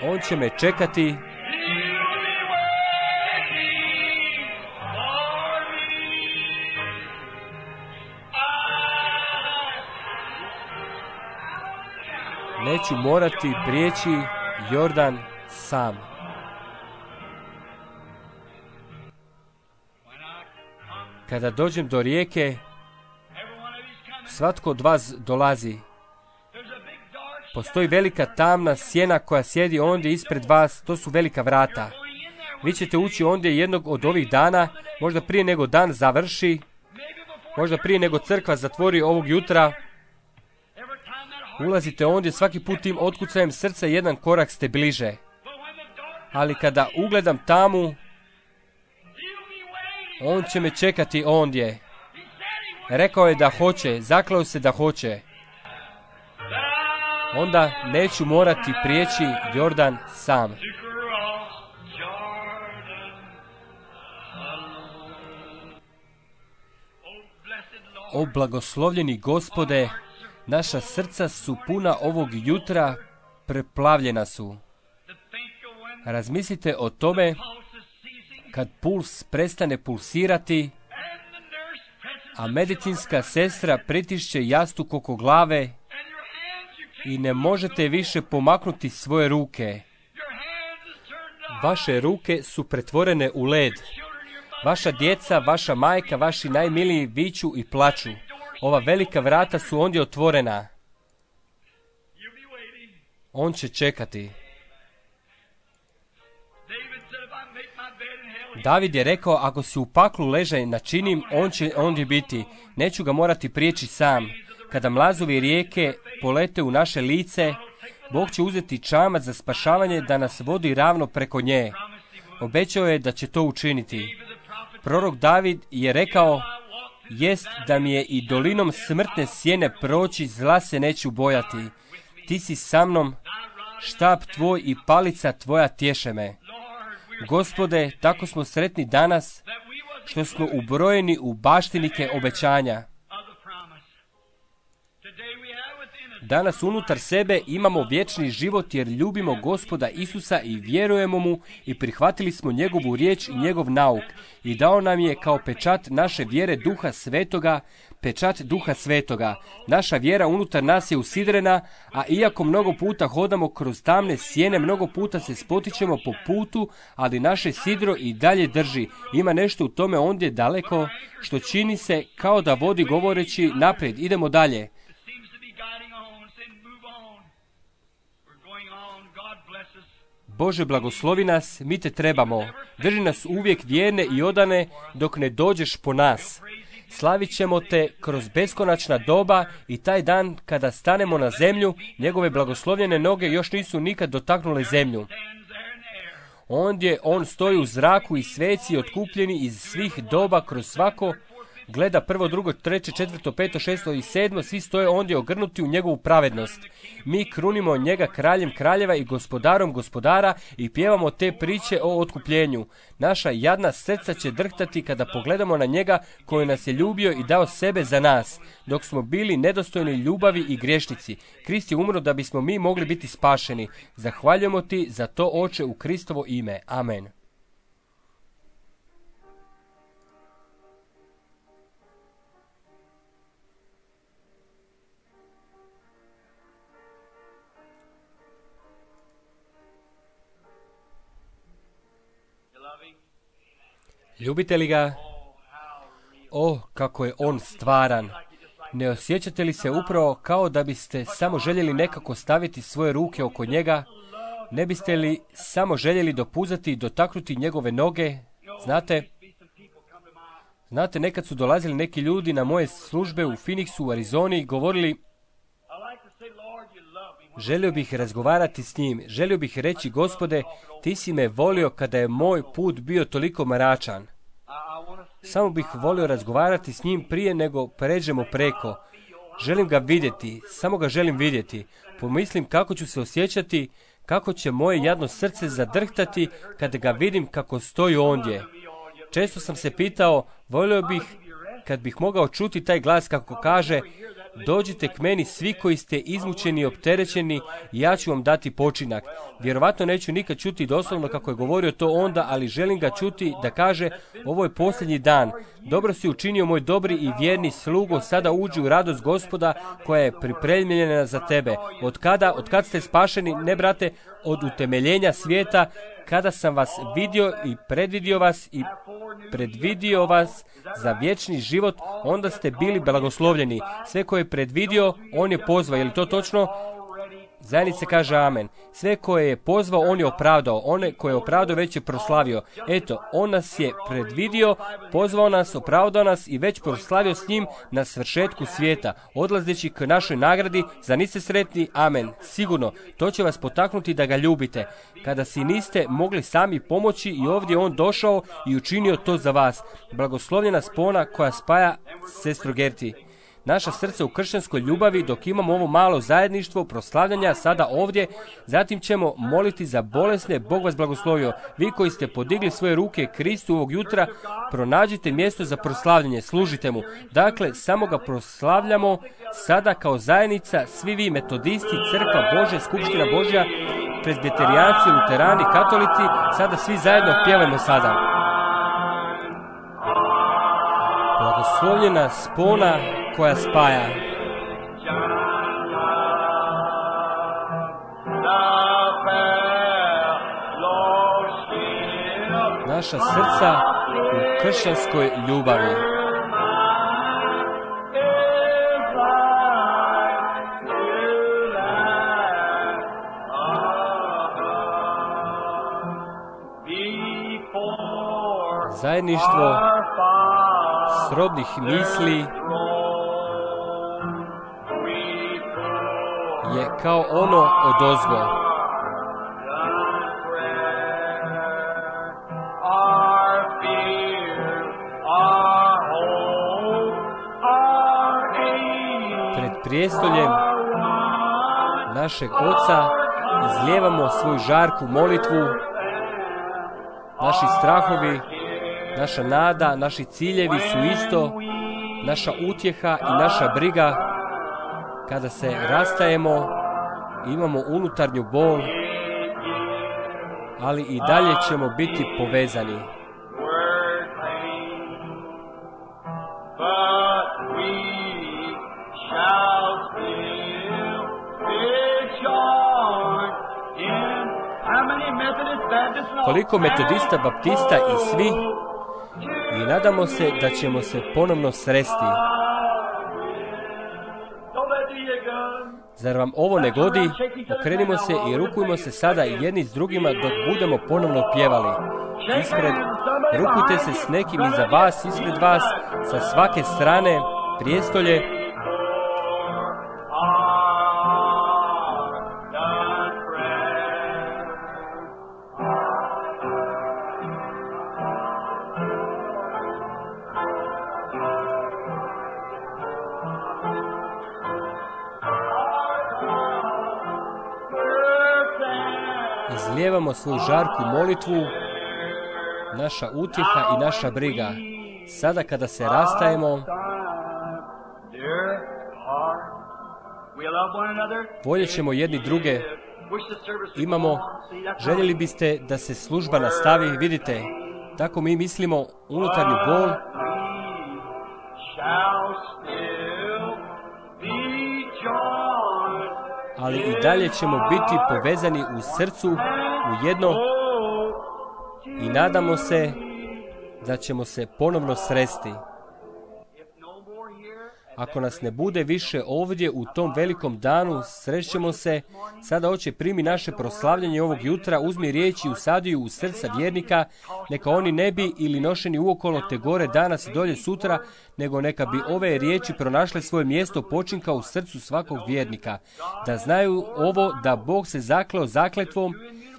on će me čekati. Neću morati prijeći Jordan sam. Kada dođem do rijeke, svatko od vas dolazi. Postoji velika tamna sjena koja sjedi ondje ispred vas, to su velika vrata. Vi ćete ući ondje jednog od ovih dana, možda prije nego dan završi, možda prije nego crkva zatvori ovog jutra. Ulazite ondje svaki put tim otkucajem srca, jedan korak ste bliže. Ali kada ugledam tamu, on će me čekati ondje. Rekao je da hoće, zaklao se da hoće. Onda neću morati prijeći Jordan sam. O blagoslovljeni Gospode, naša srca su puna ovog jutra, preplavljena su. Razmislite o tome kad puls prestane pulsirati, a medicinska sestra pritišće jastuk oko glave i ne možete više pomaknuti svoje ruke. Vaše ruke su pretvorene u led. Vaša djeca, vaša majka, vaši najmiliji viču i plaču. Ova velika vrata su ondje otvorena. On će čekati. David je rekao, ako si u paklu ležaj načinim, on će ondje biti. Neću ga morati prijeći sam. Kada mlazovi rijeke polete u naše lice, Bog će uzeti čamac za spašavanje da nas vodi ravno preko nje. Obećao je da će to učiniti. Prorok David je rekao, jest da mi je i dolinom smrtne sjene proći, zla se neću bojati. Ti si sa mnom, štap tvoj i palica tvoja tješe me. Gospode, tako smo sretni danas, što smo ubrojeni u baštinike obećanja. Danas unutar sebe imamo vječni život jer ljubimo Gospoda Isusa i vjerujemo mu i prihvatili smo njegovu riječ i njegov nauk i dao nam je kao pečat naše vjere Duha Svetoga, pečat Duha Svetoga. Naša vjera unutar nas je usidrena, a iako mnogo puta hodamo kroz tamne sjene, mnogo puta se spotičemo po putu, ali naše sidro i dalje drži. Ima nešto u tome ondje daleko što čini se kao da vodi govoreći naprijed, idemo dalje. Bože, blagoslovi nas, mi te trebamo. Drži nas uvijek vjerne i odane dok ne dođeš po nas. Slavit ćemo te kroz beskonačna doba i taj dan kada stanemo na zemlju, njegove blagoslovljene noge još nisu nikad dotaknule zemlju. Ondje on stoji u zraku i sveci otkupljeni iz svih doba kroz svako, gleda prvo, drugo, treće, četvrto, peto, šesto i sedmo, svi stoje ondje ogrnuti u njegovu pravednost. Mi krunimo njega kraljem kraljeva i gospodarom gospodara i pjevamo te priče o otkupljenju. Naša jadna srca će drhtati kada pogledamo na njega koji nas je ljubio i dao sebe za nas, dok smo bili nedostojni ljubavi i griješnici. Krist je umro da bismo mi mogli biti spašeni. Zahvaljujemo ti za to, Oče, u Kristovo ime. Amen. Ljubite li ga? O, kako je on stvaran! Ne osjećate li se upravo kao da biste samo željeli nekako staviti svoje ruke oko njega? Ne biste li samo željeli dopuzati i dotaknuti njegove noge? Znate, znate, nekad su dolazili neki ljudi na moje službe u Phoenixu, u Arizoni i govorili: želio bih razgovarati s njim, želio bih reći: Gospode, ti si me volio kada je moj put bio toliko mračan. Samo bih volio razgovarati s njim prije nego pređemo preko. Želim ga vidjeti, samo ga želim vidjeti. Pomislim kako ću se osjećati, kako će moje jadno srce zadrhtati kada ga vidim kako stoji ondje. Često sam se pitao, volio bih kad bih mogao čuti taj glas kako kaže: dođite k meni svi koji ste izmučeni i opterećeni i ja ću vam dati počinak. Vjerovatno neću nikad čuti doslovno kako je govorio to onda, ali želim ga čuti da kaže: ovo je posljednji dan. Dobro si učinio, moj dobri i vjerni slugo, sada uđi u radost Gospoda koja je pripremljena za tebe. Od kada, od kad ste spašeni, ne brate, od utemeljenja svijeta, kada sam vas vidio i predvidio vas i predvidio vas za vječni život, onda ste bili blagoslovljeni. Sve koje je predvidio, on je pozvao. Je li to točno? Zajednice kaže amen. Sve koje je pozvao, on je opravdao. One koje je opravdao, već je proslavio. Eto, on nas je predvidio, pozvao nas, opravdao nas i već proslavio s njim na svršetku svijeta, odlazeći k našoj nagradi. Za niste sretni? Amen. Sigurno, to će vas potaknuti da ga ljubite. Kada si niste mogli sami pomoći, i ovdje on došao i učinio to za vas. Blagoslovljena spona koja spaja, sestro Gerti, naša srca u kršćanskoj ljubavi dok imamo ovo malo zajedništvo proslavljanja sada ovdje. Zatim ćemo moliti za bolesne. Bog vas blagoslovio. Vi koji ste podigli svoje ruke Kristu ovog jutra, pronađite mjesto za proslavljanje, služite mu. Dakle, samo ga proslavljamo sada kao zajednica, svi vi metodisti, crkva Božja, skupština Božja, presbiterijanci, luterani, katolici, sada svi zajedno pjevajmo sada. Blagoslovljena spona koja spaja. Naša srca u kršćanskoj ljubavi. Zajedništvo srodnih misli je kao ono odozgo. Pred prijestoljem našeg Oca izlijevamo svoju žarku molitvu. Naši strahovi, naša nada, naši ciljevi su isto, naša utjeha i naša briga. Kada se rastajemo, imamo unutarnju bol, ali i dalje ćemo biti povezani. Koliko metodista, baptista i svi, i nadamo se da ćemo se ponovno sresti. Zar vam ovo ne godi? Okrenimo se i rukujmo se sada jedni s drugima dok budemo ponovno pjevali. Ispred, rukujte se s nekim iza vas, ispred vas, sa svake strane, prijestolje. Izlijevamo svoju žarku molitvu, naša utjeha i naša briga. Sada kada se rastajemo, voljet ćemo jedni druge. Imamo, željeli biste da se služba nastavi, vidite, tako mi mislimo, unutarnju bol. Ali i dalje ćemo biti povezani u srcu, u jedno, i nadamo se da ćemo se ponovno sresti. Ako nas ne bude više ovdje u tom velikom danu, srećemo se. Sada, Oče, primi naše proslavljanje ovog jutra, uzmi riječi i usadi ju u srca vjernika, neka oni ne bi ili nošeni uokolo te gore danas i dolje sutra, nego neka bi ove riječi pronašle svoje mjesto počinka u srcu svakog vjernika. Da znaju ovo, da Bog se zakleo zakletvom,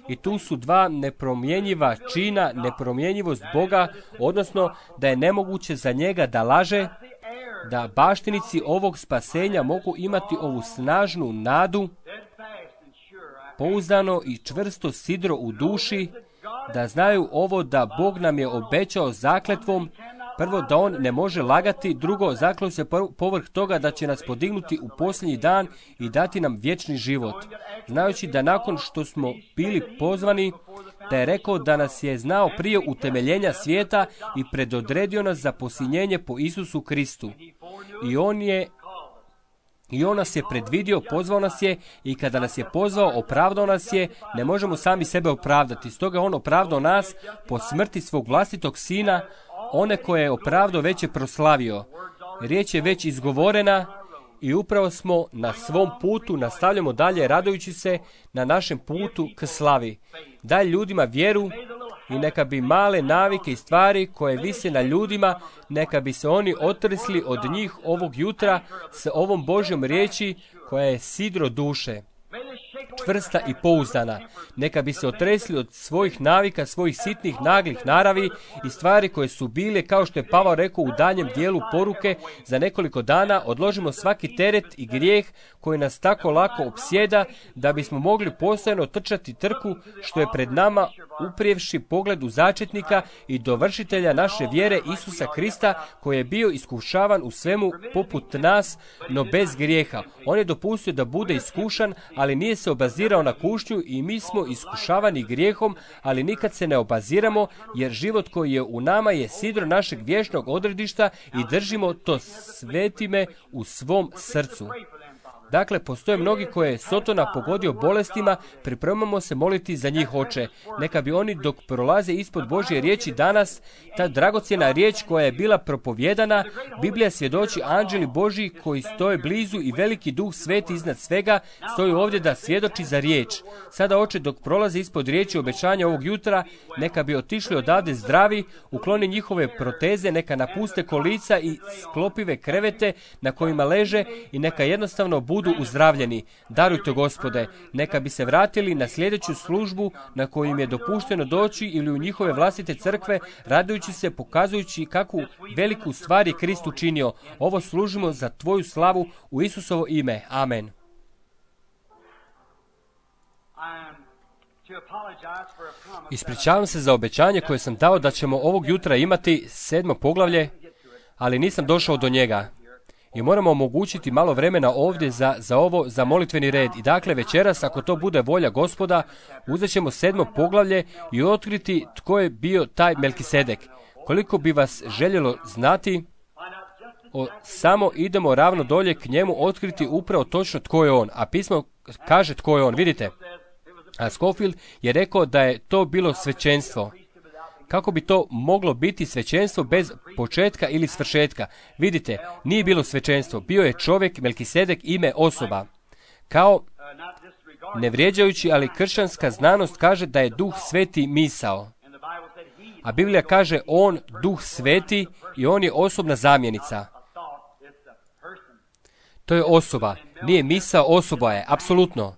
i tu su dva nepromjenjiva čina, nepromjenjivost Boga, odnosno da je nemoguće za njega da laže, da baštinici ovog spasenja mogu imati ovu snažnu nadu, pouzdano i čvrsto sidro u duši, da znaju ovo, da Bog nam je obećao zakletvom, prvo da on ne može lagati, drugo zakleo se povrh toga da će nas podignuti u posljednji dan i dati nam vječni život. Znajući da nakon što smo bili pozvani, da je rekao da nas je znao prije utemeljenja svijeta i predodredio nas za posiljenje po Isusu Kristu. I on je I on nas je predvidio, pozvao nas je, i kada nas je pozvao, opravdao nas je. Ne možemo sami sebe opravdati. Stoga on opravdao nas po smrti svog vlastitog sina. One koje je opravdao već je proslavio. Riječ je već izgovorena i upravo smo na svom putu, nastavljamo dalje radujući se na našem putu k slavi. Daj ljudima vjeru i neka bi male navike i stvari koje vise na ljudima, neka bi se oni otrsli od njih ovog jutra s ovom Božjom riječi koja je sidro duše, čvrsta i pouzdana. Neka bi se otresli od svojih navika, svojih sitnih, naglih naravi i stvari koje su bile, kao što je Pavao rekao u daljem dijelu poruke, za nekoliko dana odložimo svaki teret i grijeh koji nas tako lako opsjeda, da bismo mogli postojano trčati trku što je pred nama, uprijevši pogled u začetnika i dovršitelja naše vjere Isusa Krista, koji je bio iskušavan u svemu poput nas, no bez grijeha. On je dopustio da bude iskušan, ali nije se obazirao na kušnju, i mi smo iskušavani grijehom, ali nikad se ne obaziramo, jer život koji je u nama je sidro našeg vječnog odredišta i držimo to svetime u svom srcu. Dakle, postoje mnogi koje je Sotona pogodio bolestima, pripremamo se moliti za njih, Oče. Neka bi oni, dok prolaze ispod Božje riječi danas, ta dragocjena riječ koja je bila propovjedana, Biblija svjedoči, anđeli Božji koji stoje blizu i veliki Duh Sveti iznad svega stoji ovdje da svjedoči za riječ. Sada, Oče, dok prolaze ispod riječi obećanja ovog jutra, neka bi otišli odavde zdravi, ukloni njihove proteze, neka napuste kolica i sklopive krevete na kojima leže i neka jednostavno budu budu uzdravljeni. Darujte, Gospode, neka bi se vratili na sljedeću službu na koju im je dopušteno doći ili u njihove vlastite crkve, radujući se, pokazujući kakvu veliku stvar je Krist učinio. Ovo služimo za Tvoju slavu u Isusovo ime. Amen. Ispričavam se za obećanje koje sam dao da ćemo ovog jutra imati sedmo poglavlje, ali nisam došao do njega. I moramo omogućiti malo vremena ovdje za, za ovo, za molitveni red. I dakle, večeras, ako to bude volja Gospoda, uzet ćemo sedmo poglavlje i otkriti tko je bio taj Melkisedek. Koliko bi vas željelo znati, o, samo idemo ravno dolje k njemu otkriti upravo točno tko je on. A pismo kaže tko je on, vidite. A Scofield je rekao da je to bilo svećenstvo. Kako bi to moglo biti svećenstvo bez početka ili svršetka? Vidite, nije bilo svećenstvo. Bio je čovjek, Melkisedek, ime, osoba. Kao, ne vrijeđajući, ali kršćanska znanost kaže da je Duh Sveti misao. A Biblija kaže on, Duh Sveti, i on je osobna zamjenica. To je osoba. Nije misao, osoba je. Apsolutno.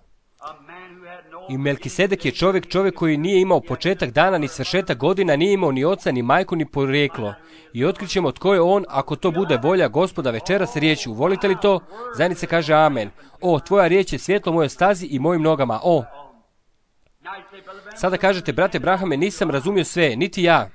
I Melkisedek je čovjek, čovjek koji nije imao početak dana, ni svršetak godina, nije imao ni oca, ni majku, ni porijeklo. I otkrićemo tko je on, ako to bude volja Gospoda večeras riječju. Volite li to? Zajednice kaže amen. O, tvoja riječ je svjetlo mojoj stazi i mojim nogama. O. Sada kažete, brate Brahame, nisam razumio sve, niti ja.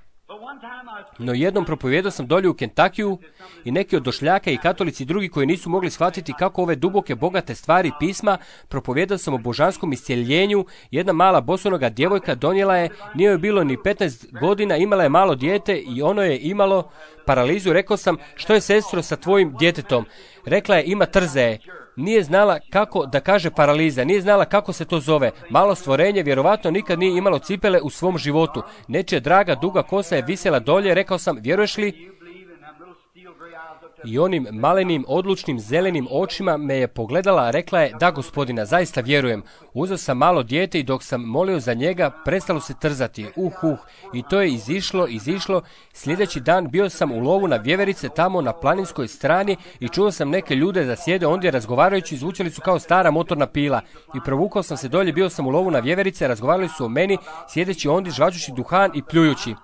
No jednom propovijedao sam dolje u Kentakiju i neki od došljaka i katolici i drugi koji nisu mogli shvatiti kako ove duboke, bogate stvari pisma, propovijedao sam o božanskom iscjeljenju. Jedna mala bosonoga djevojka donijela je, nije joj bilo ni petnaest godina, imala je malo dijete i ono je imalo paralizu. Rekao sam, što je, sestro, sa tvojim djetetom? Rekla je, ima trzaje. Nije znala kako da kaže paraliza, nije znala kako se to zove. Malo stvorenje vjerovatno nikad nije imalo cipele u svom životu. Nečija draga duga kosa je visjela dolje, rekao sam, vjeruješ li? I onim malenim, odlučnim, zelenim očima me je pogledala, rekla je, da gospodina, zaista vjerujem. Uzeo sam malo dijete i dok sam molio za njega, prestalo se trzati. Uh, uh. I to je izišlo, izišlo. Sljedeći dan bio sam u lovu na vjeverice tamo na planinskoj strani i čuo sam neke ljude da sjede ondje razgovarajući, zvučali su kao stara motorna pila. I provukao sam se dolje, bio sam u lovu na vjeverice, razgovarali su o meni, sjedeći ondje, žvačući duhan i pljujući.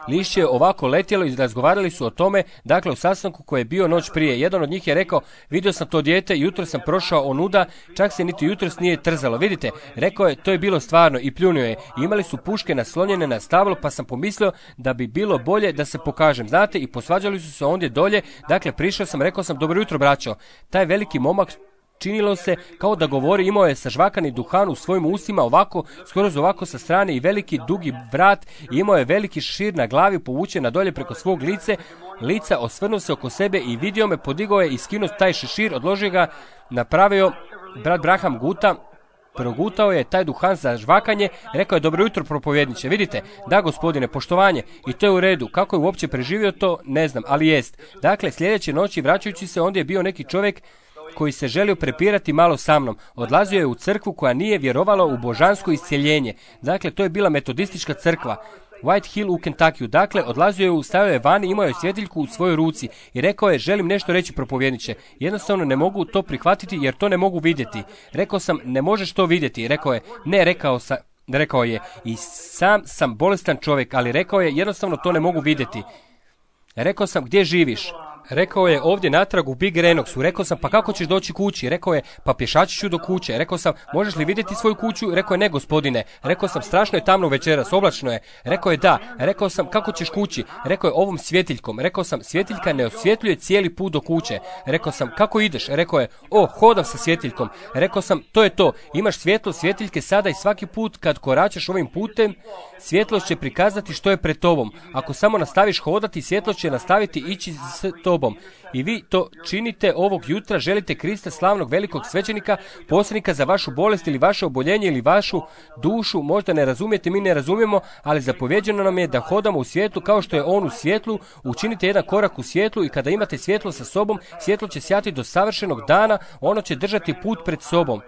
Lišće je ovako letjelo i razgovarali su o tome, dakle u sastanku koji je bio noć prije. Jedan od njih je rekao, vidio sam to dijete, jutro sam prošao onuda, čak se niti jutros nije trzalo. Vidite, rekao je, to je bilo stvarno i pljunuo je. Imali su puške naslonjene na stablo, pa sam pomislio da bi bilo bolje da se pokažem. Znate, i posvađali su se ondje dolje, dakle prišao sam, rekao sam, dobro jutro braćo. Taj veliki momak, činilo se kao da govori, imao je sažvakani duhan u svojim ustima, ovako, skoro ovako sa strane i veliki dugi vrat, i imao je veliki šešir na glavi povučen na dolje preko svog lice, lica, osvrnuo se oko sebe i vidio me, podigao je i skinuo taj šešir, odložio ga, napravio brat Braham Guta, progutao je taj duhan za žvakanje, rekao je, dobro jutro propovjedniče, vidite, da gospodine, poštovanje, i to je u redu, kako je uopće preživio to, ne znam, ali jest. Dakle, sljedeće noći, vraćajući se, ondje je bio neki čovjek koji se želio prepirati malo sa mnom. Odlazio je u crkvu koja nije vjerovala u božansko iscjeljenje. Dakle, to je bila metodistička crkva. White Hill u Kentuckyu. Dakle, odlazio je, u, stavio je van, imao je svjetiljku u svojoj ruci i rekao je, želim nešto reći propovjedniče. Jednostavno ne mogu to prihvatiti jer to ne mogu vidjeti. Rekao sam, ne možeš to vidjeti. Rekao je, ne, rekao sam, rekao je, i sam sam bolestan čovjek, ali rekao je, jednostavno to ne mogu vidjeti. Rekao sam, gdje živiš? Rekao je, ovdje natrag u Big Renoxu. Rekao sam, pa kako ćeš doći kući? Rekao je, pa pješaći ću do kuće. Rekao sam, možeš li vidjeti svoju kuću? Rekao je, ne gospodine. Rekao sam, strašno je tamno večeras, oblačno je. Rekao je, da. Rekao sam, kako ćeš kući? Rekao je, ovom svjetiljkom. Rekao sam, svjetiljka ne osvjetljuje cijeli put do kuće. Rekao sam, kako ideš? Rekao je, o, hodam sa svjetiljkom. Rekao sam, to je to. Imaš svjetlo svjetiljke sada i svaki put kad koračaš ovim putem, svjetlost će prikazati što je pred tobom. Ako samo nastaviš hodati, svjetlost će nastaviti ići s tobom. I vi to činite ovog jutra, želite Krista, slavnog velikog svećenika, posrednika za vašu bolest ili vaše oboljenje ili vašu dušu. Možda ne razumijete, mi ne razumijemo, ali zapovjeđeno nam je da hodamo u svijetlu kao što je on u svjetlu. Učinite jedan korak u svjetlu i kada imate svjetlo sa sobom, svjetlo će sjati do savršenog dana, ono će držati put pred sobom.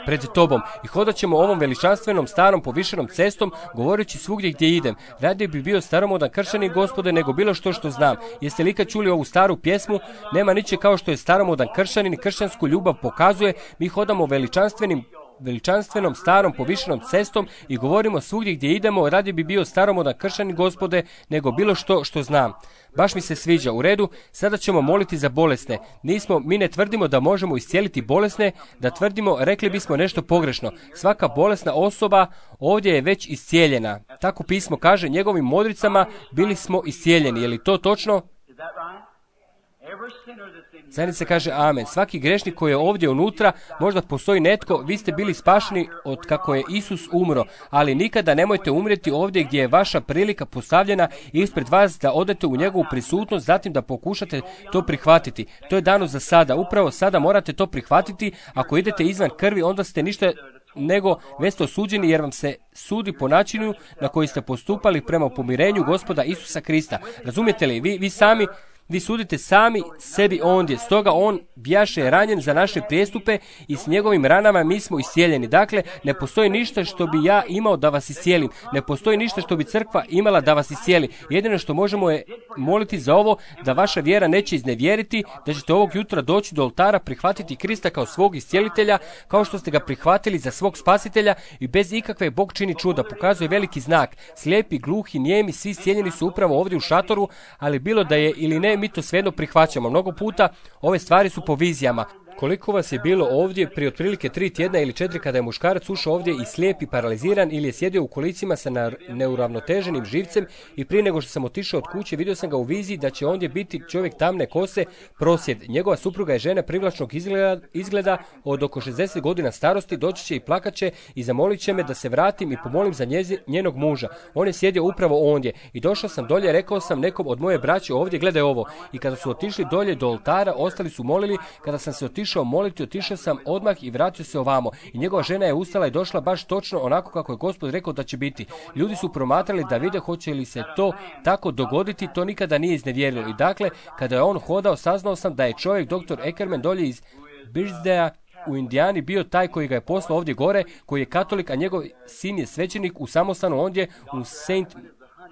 Pred tobom i hodat ćemo ovom veličanstvenom starom povišenom cestom, govoreći svugdje gdje idem. Radije bi bio staromodan kršćanin, Gospode, nego bilo što što znam. Jeste li ikad čuli ovu staru pjesmu? Nema niče kao što je staromodan kršćanin i kršćansku ljubav pokazuje. Mi hodamo veličanstvenim veličanstvenom starom povišenom cestom i govorimo svugdje gdje idemo, radije bi bio staromodan kršćanin, Gospode, nego bilo što što znam. Baš mi se sviđa. U redu, sada ćemo moliti za bolesne. Nismo, mi ne tvrdimo da možemo iscijeliti bolesne, da tvrdimo, rekli bismo nešto pogrešno. Svaka bolesna osoba ovdje je već iscijeljena. Tako pismo kaže, njegovim modricama bili smo iscijeljeni. Je li to točno? Zajednica kaže amen. Svaki grešnik koji je ovdje unutra, možda postoji netko, vi ste bili spašeni od kako je Isus umro, ali nikada nemojte umrijeti ovdje gdje je vaša prilika postavljena ispred vas da odete u njegovu prisutnost, zatim da pokušate to prihvatiti. To je dano za sada. Upravo sada morate to prihvatiti. Ako idete izvan krvi, onda ste ništa nego već ste osuđeni jer vam se sudi po načinu na koji ste postupali prema pomirenju Gospoda Isusa Krista. Razumijete li? Vi, vi sami Vi sudite sami sebi ondje, stoga on bjaše ranjen za naše prijestupe i s njegovim ranama mi smo iscijeljeni. Dakle, ne postoji ništa što bi ja imao da vas iscijelim. Ne postoji ništa što bi crkva imala da vas iscijeli. Jedino što možemo je moliti za ovo, da vaša vjera neće iznevjeriti, da ćete ovog jutra doći do oltara, prihvatiti Krista kao svog iscijelitelja, kao što ste ga prihvatili za svog spasitelja i bez ikakve Bog čini čuda, pokazuje veliki znak. Slijepi, gluhi, nijemi, svi iscijeljeni su upravo ovdje u šatoru, ali bilo da je ili ne, mi to svejedno prihvaćamo. Mnogo puta ove stvari su po vizijama. Koliko vas je bilo ovdje prije otprilike tri tjedna ili četiri kada je muškarac ušao ovdje i slijep i paraliziran ili je sjedio u kolicima sa neuravnoteženim živcem i prije nego što sam otišao od kuće vidio sam ga u viziji da će ondje biti čovjek tamne kose, prosjed. Njegova supruga je žena privlačnog izgleda, izgleda od oko šezdeset godina starosti, doći će i plakat će i zamolit će me da se vratim i pomolim za njezi, njenog muža. On je sjedio upravo ondje i došao sam dolje, rekao sam nekom od moje braće ovdje, gledaj ovo. I kada su otišli dolje do oltara, ostali su molili. Kada sam se otišao moliti, otišao sam odmah i vratio se ovamo. I njegova žena je ustala i došla baš točno onako kako je Gospod rekao da će biti. Ljudi su promatrali da vide hoće li se to tako dogoditi, to nikada nije iznevjerilo. I dakle, kada je on hodao, saznao sam da je čovjek, doktor Eckerman, dolje iz Birchdeja u Indijani bio taj koji ga je poslao ovdje gore, koji je katolik, a njegov sin je svećenik u samostanu ondje u Saint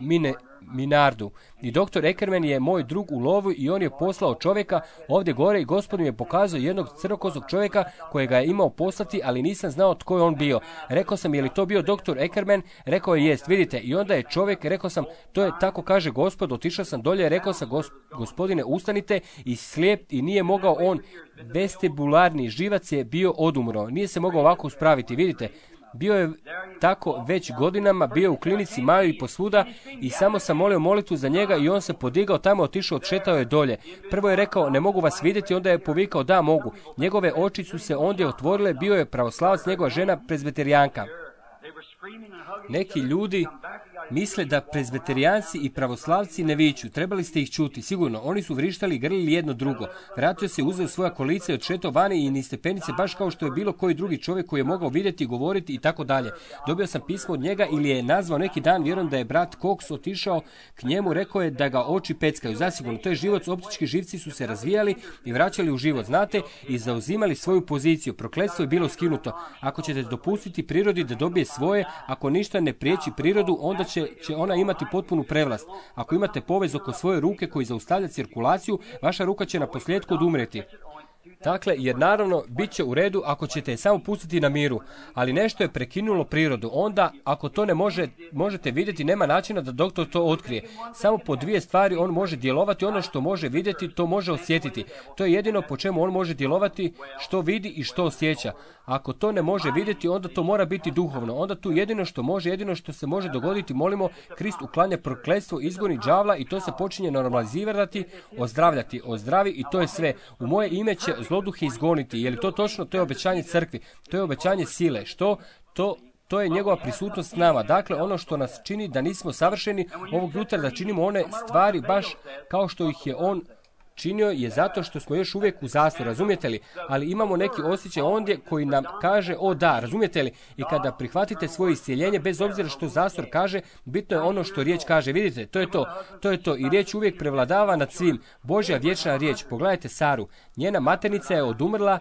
Mine, Minardu. I doktor Eckerman je moj drug u lovu i on je poslao čovjeka ovdje gore i Gospodin mi je pokazao jednog crnokozog čovjeka kojega je imao poslati, ali nisam znao tko je on bio. Rekao sam, je li to bio doktor Eckerman? Rekao je, jest, vidite. I onda je čovjek, rekao sam, to je tako kaže Gospod, otišao sam dolje, rekao sam, Gospodine, ustanite, i slijep i nije mogao on, vestibularni živac je bio odumro. Nije se mogao ovako uspraviti, vidite. Bio je tako već godinama, bio je u klinici Mayo i posvuda i samo sam molio molitvu za njega i on se podigao tamo, otišao, odšetao je dolje. Prvo je rekao, ne mogu vas vidjeti, onda je povikao, da mogu. Njegove oči su se ondje otvorile, bio je pravoslavac, njegova žena prezbeterijanka. Neki ljudi misle da prezbeterijanci i pravoslavci ne viču. Trebali ste ih čuti, sigurno. Oni su vrištali i grlili jedno drugo. Vratio se, uzeo svoja kolica i odšetao vani i niz stepenice, baš kao što je bilo koji drugi čovjek koji je mogao vidjeti, govoriti i tako dalje. Dobio sam pismo od njega ili je nazvao neki dan, vjerujem da je brat Cox otišao k njemu, rekao je da ga oči peckaju. Zasigurno, to je život, optički živci su se razvijali i vraćali u život, znate, i zauzimali svoju poziciju. Prokletstvo je bilo skinuto. Ako ćete dopustiti prirodi da dobije svoje, ako ništa ne priječi prirodu, onda će, će ona imati potpunu prevlast. Ako imate povez oko svoje ruke koji zaustavlja cirkulaciju, vaša ruka će na posljedku odumreti. Dakle, jer naravno, bit će u redu ako ćete je samo pustiti na miru, ali nešto je prekinulo prirodu. Onda, ako to ne može, možete vidjeti, nema načina da doktor to otkrije. Samo po dvije stvari on može djelovati, ono što može vidjeti, to može osjetiti. To je jedino po čemu on može djelovati, što vidi i što osjeća. Ako to ne može vidjeti, onda to mora biti duhovno. Onda tu jedino što može, jedino što se može dogoditi, molimo, Krist uklanja prokletstvo, izgoni đavla i to se počinje normalizirati, ozdravljati, ozdravi i to je sve. U moje ime će zloduhe izgoniti. Je li to točno? To je obećanje crkvi. To je obećanje sile. Što? To To je njegova prisutnost s nama. Dakle, ono što nas čini da nismo savršeni ovog jutra, da činimo one stvari baš kao što ih je on činio, je zato što smo još uvijek u zastoru, razumijete li? Ali imamo neki osjećaj ondje koji nam kaže, o da, razumijete li? I kada prihvatite svoje iscijeljenje, bez obzira što zastor kaže, bitno je ono što riječ kaže. Vidite, to je to, to je to. I riječ uvijek prevladava nad svim. Božja vječna riječ. Pogledajte Saru. Njena maternica je odumrla,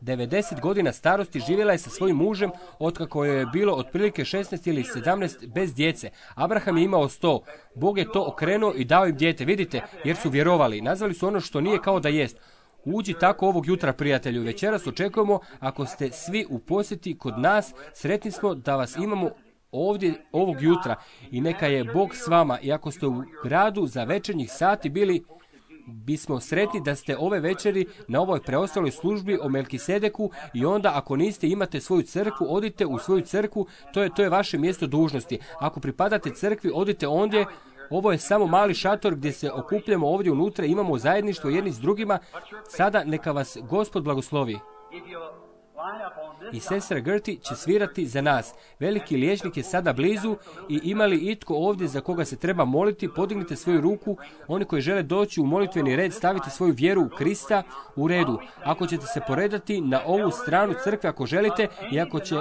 devedeset godina starosti, živjela je sa svojim mužem otkako joj je bilo otprilike šesnaest ili sedamnaest bez djece. Abraham je imao sto. Bog je to okrenuo i dao im dijete, vidite, jer su vjerovali. Nazvali su ono što nije kao da jest. Uđi tako ovog jutra, prijatelju. Večeras očekujemo, ako ste svi u posjeti kod nas, sretni smo da vas imamo ovdje ovog jutra i neka je Bog s vama. I ako ste u gradu za večernjih sati bili, bismo sretni da ste ove večeri na ovoj preostaloj službi o Melkisedeku i onda ako niste, imate svoju crkvu, odite u svoju crkvu, to je, to je vaše mjesto dužnosti. Ako pripadate crkvi, odite ondje. Ovo je samo mali šator gdje se okupljamo ovdje unutra, imamo zajedništvo jedni s drugima. Sada neka vas Gospod blagoslovi. I sestra Gertie će svirati za nas. Veliki liječnik je sada blizu i ima li itko ovdje za koga se treba moliti, podignite svoju ruku. Oni koji žele doći u molitveni red, stavite svoju vjeru u Krista u redu. Ako ćete se poredati na ovu stranu crkve, ako želite, i ako će,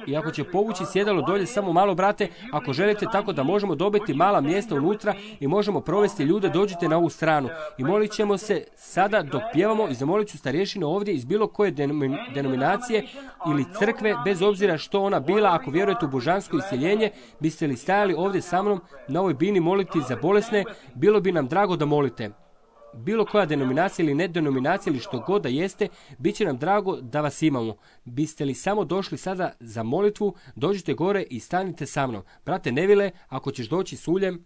i ako će povući sjedalo dolje samo malo, brate, ako želite, tako da možemo dobiti mala mjesta unutra i možemo provesti ljude, dođite na ovu stranu. I molit ćemo se sada dok pjevamo i zamolit ću starješinu ovdje iz bilo koje denominacije ili crkve, bez obzira što ona bila. Ako vjerujete u božansko isceljenje, biste li stajali ovdje sa mnom na ovoj bini moliti za bolesne, bilo bi nam drago da molite. Bilo koja denominacija ili nedenominacija ili što god da jeste, bit će nam drago da vas imamo. Biste li samo došli sada za molitvu, dođite gore i stanite sa mnom. Brate Nevile, ako ćeš doći s uljem,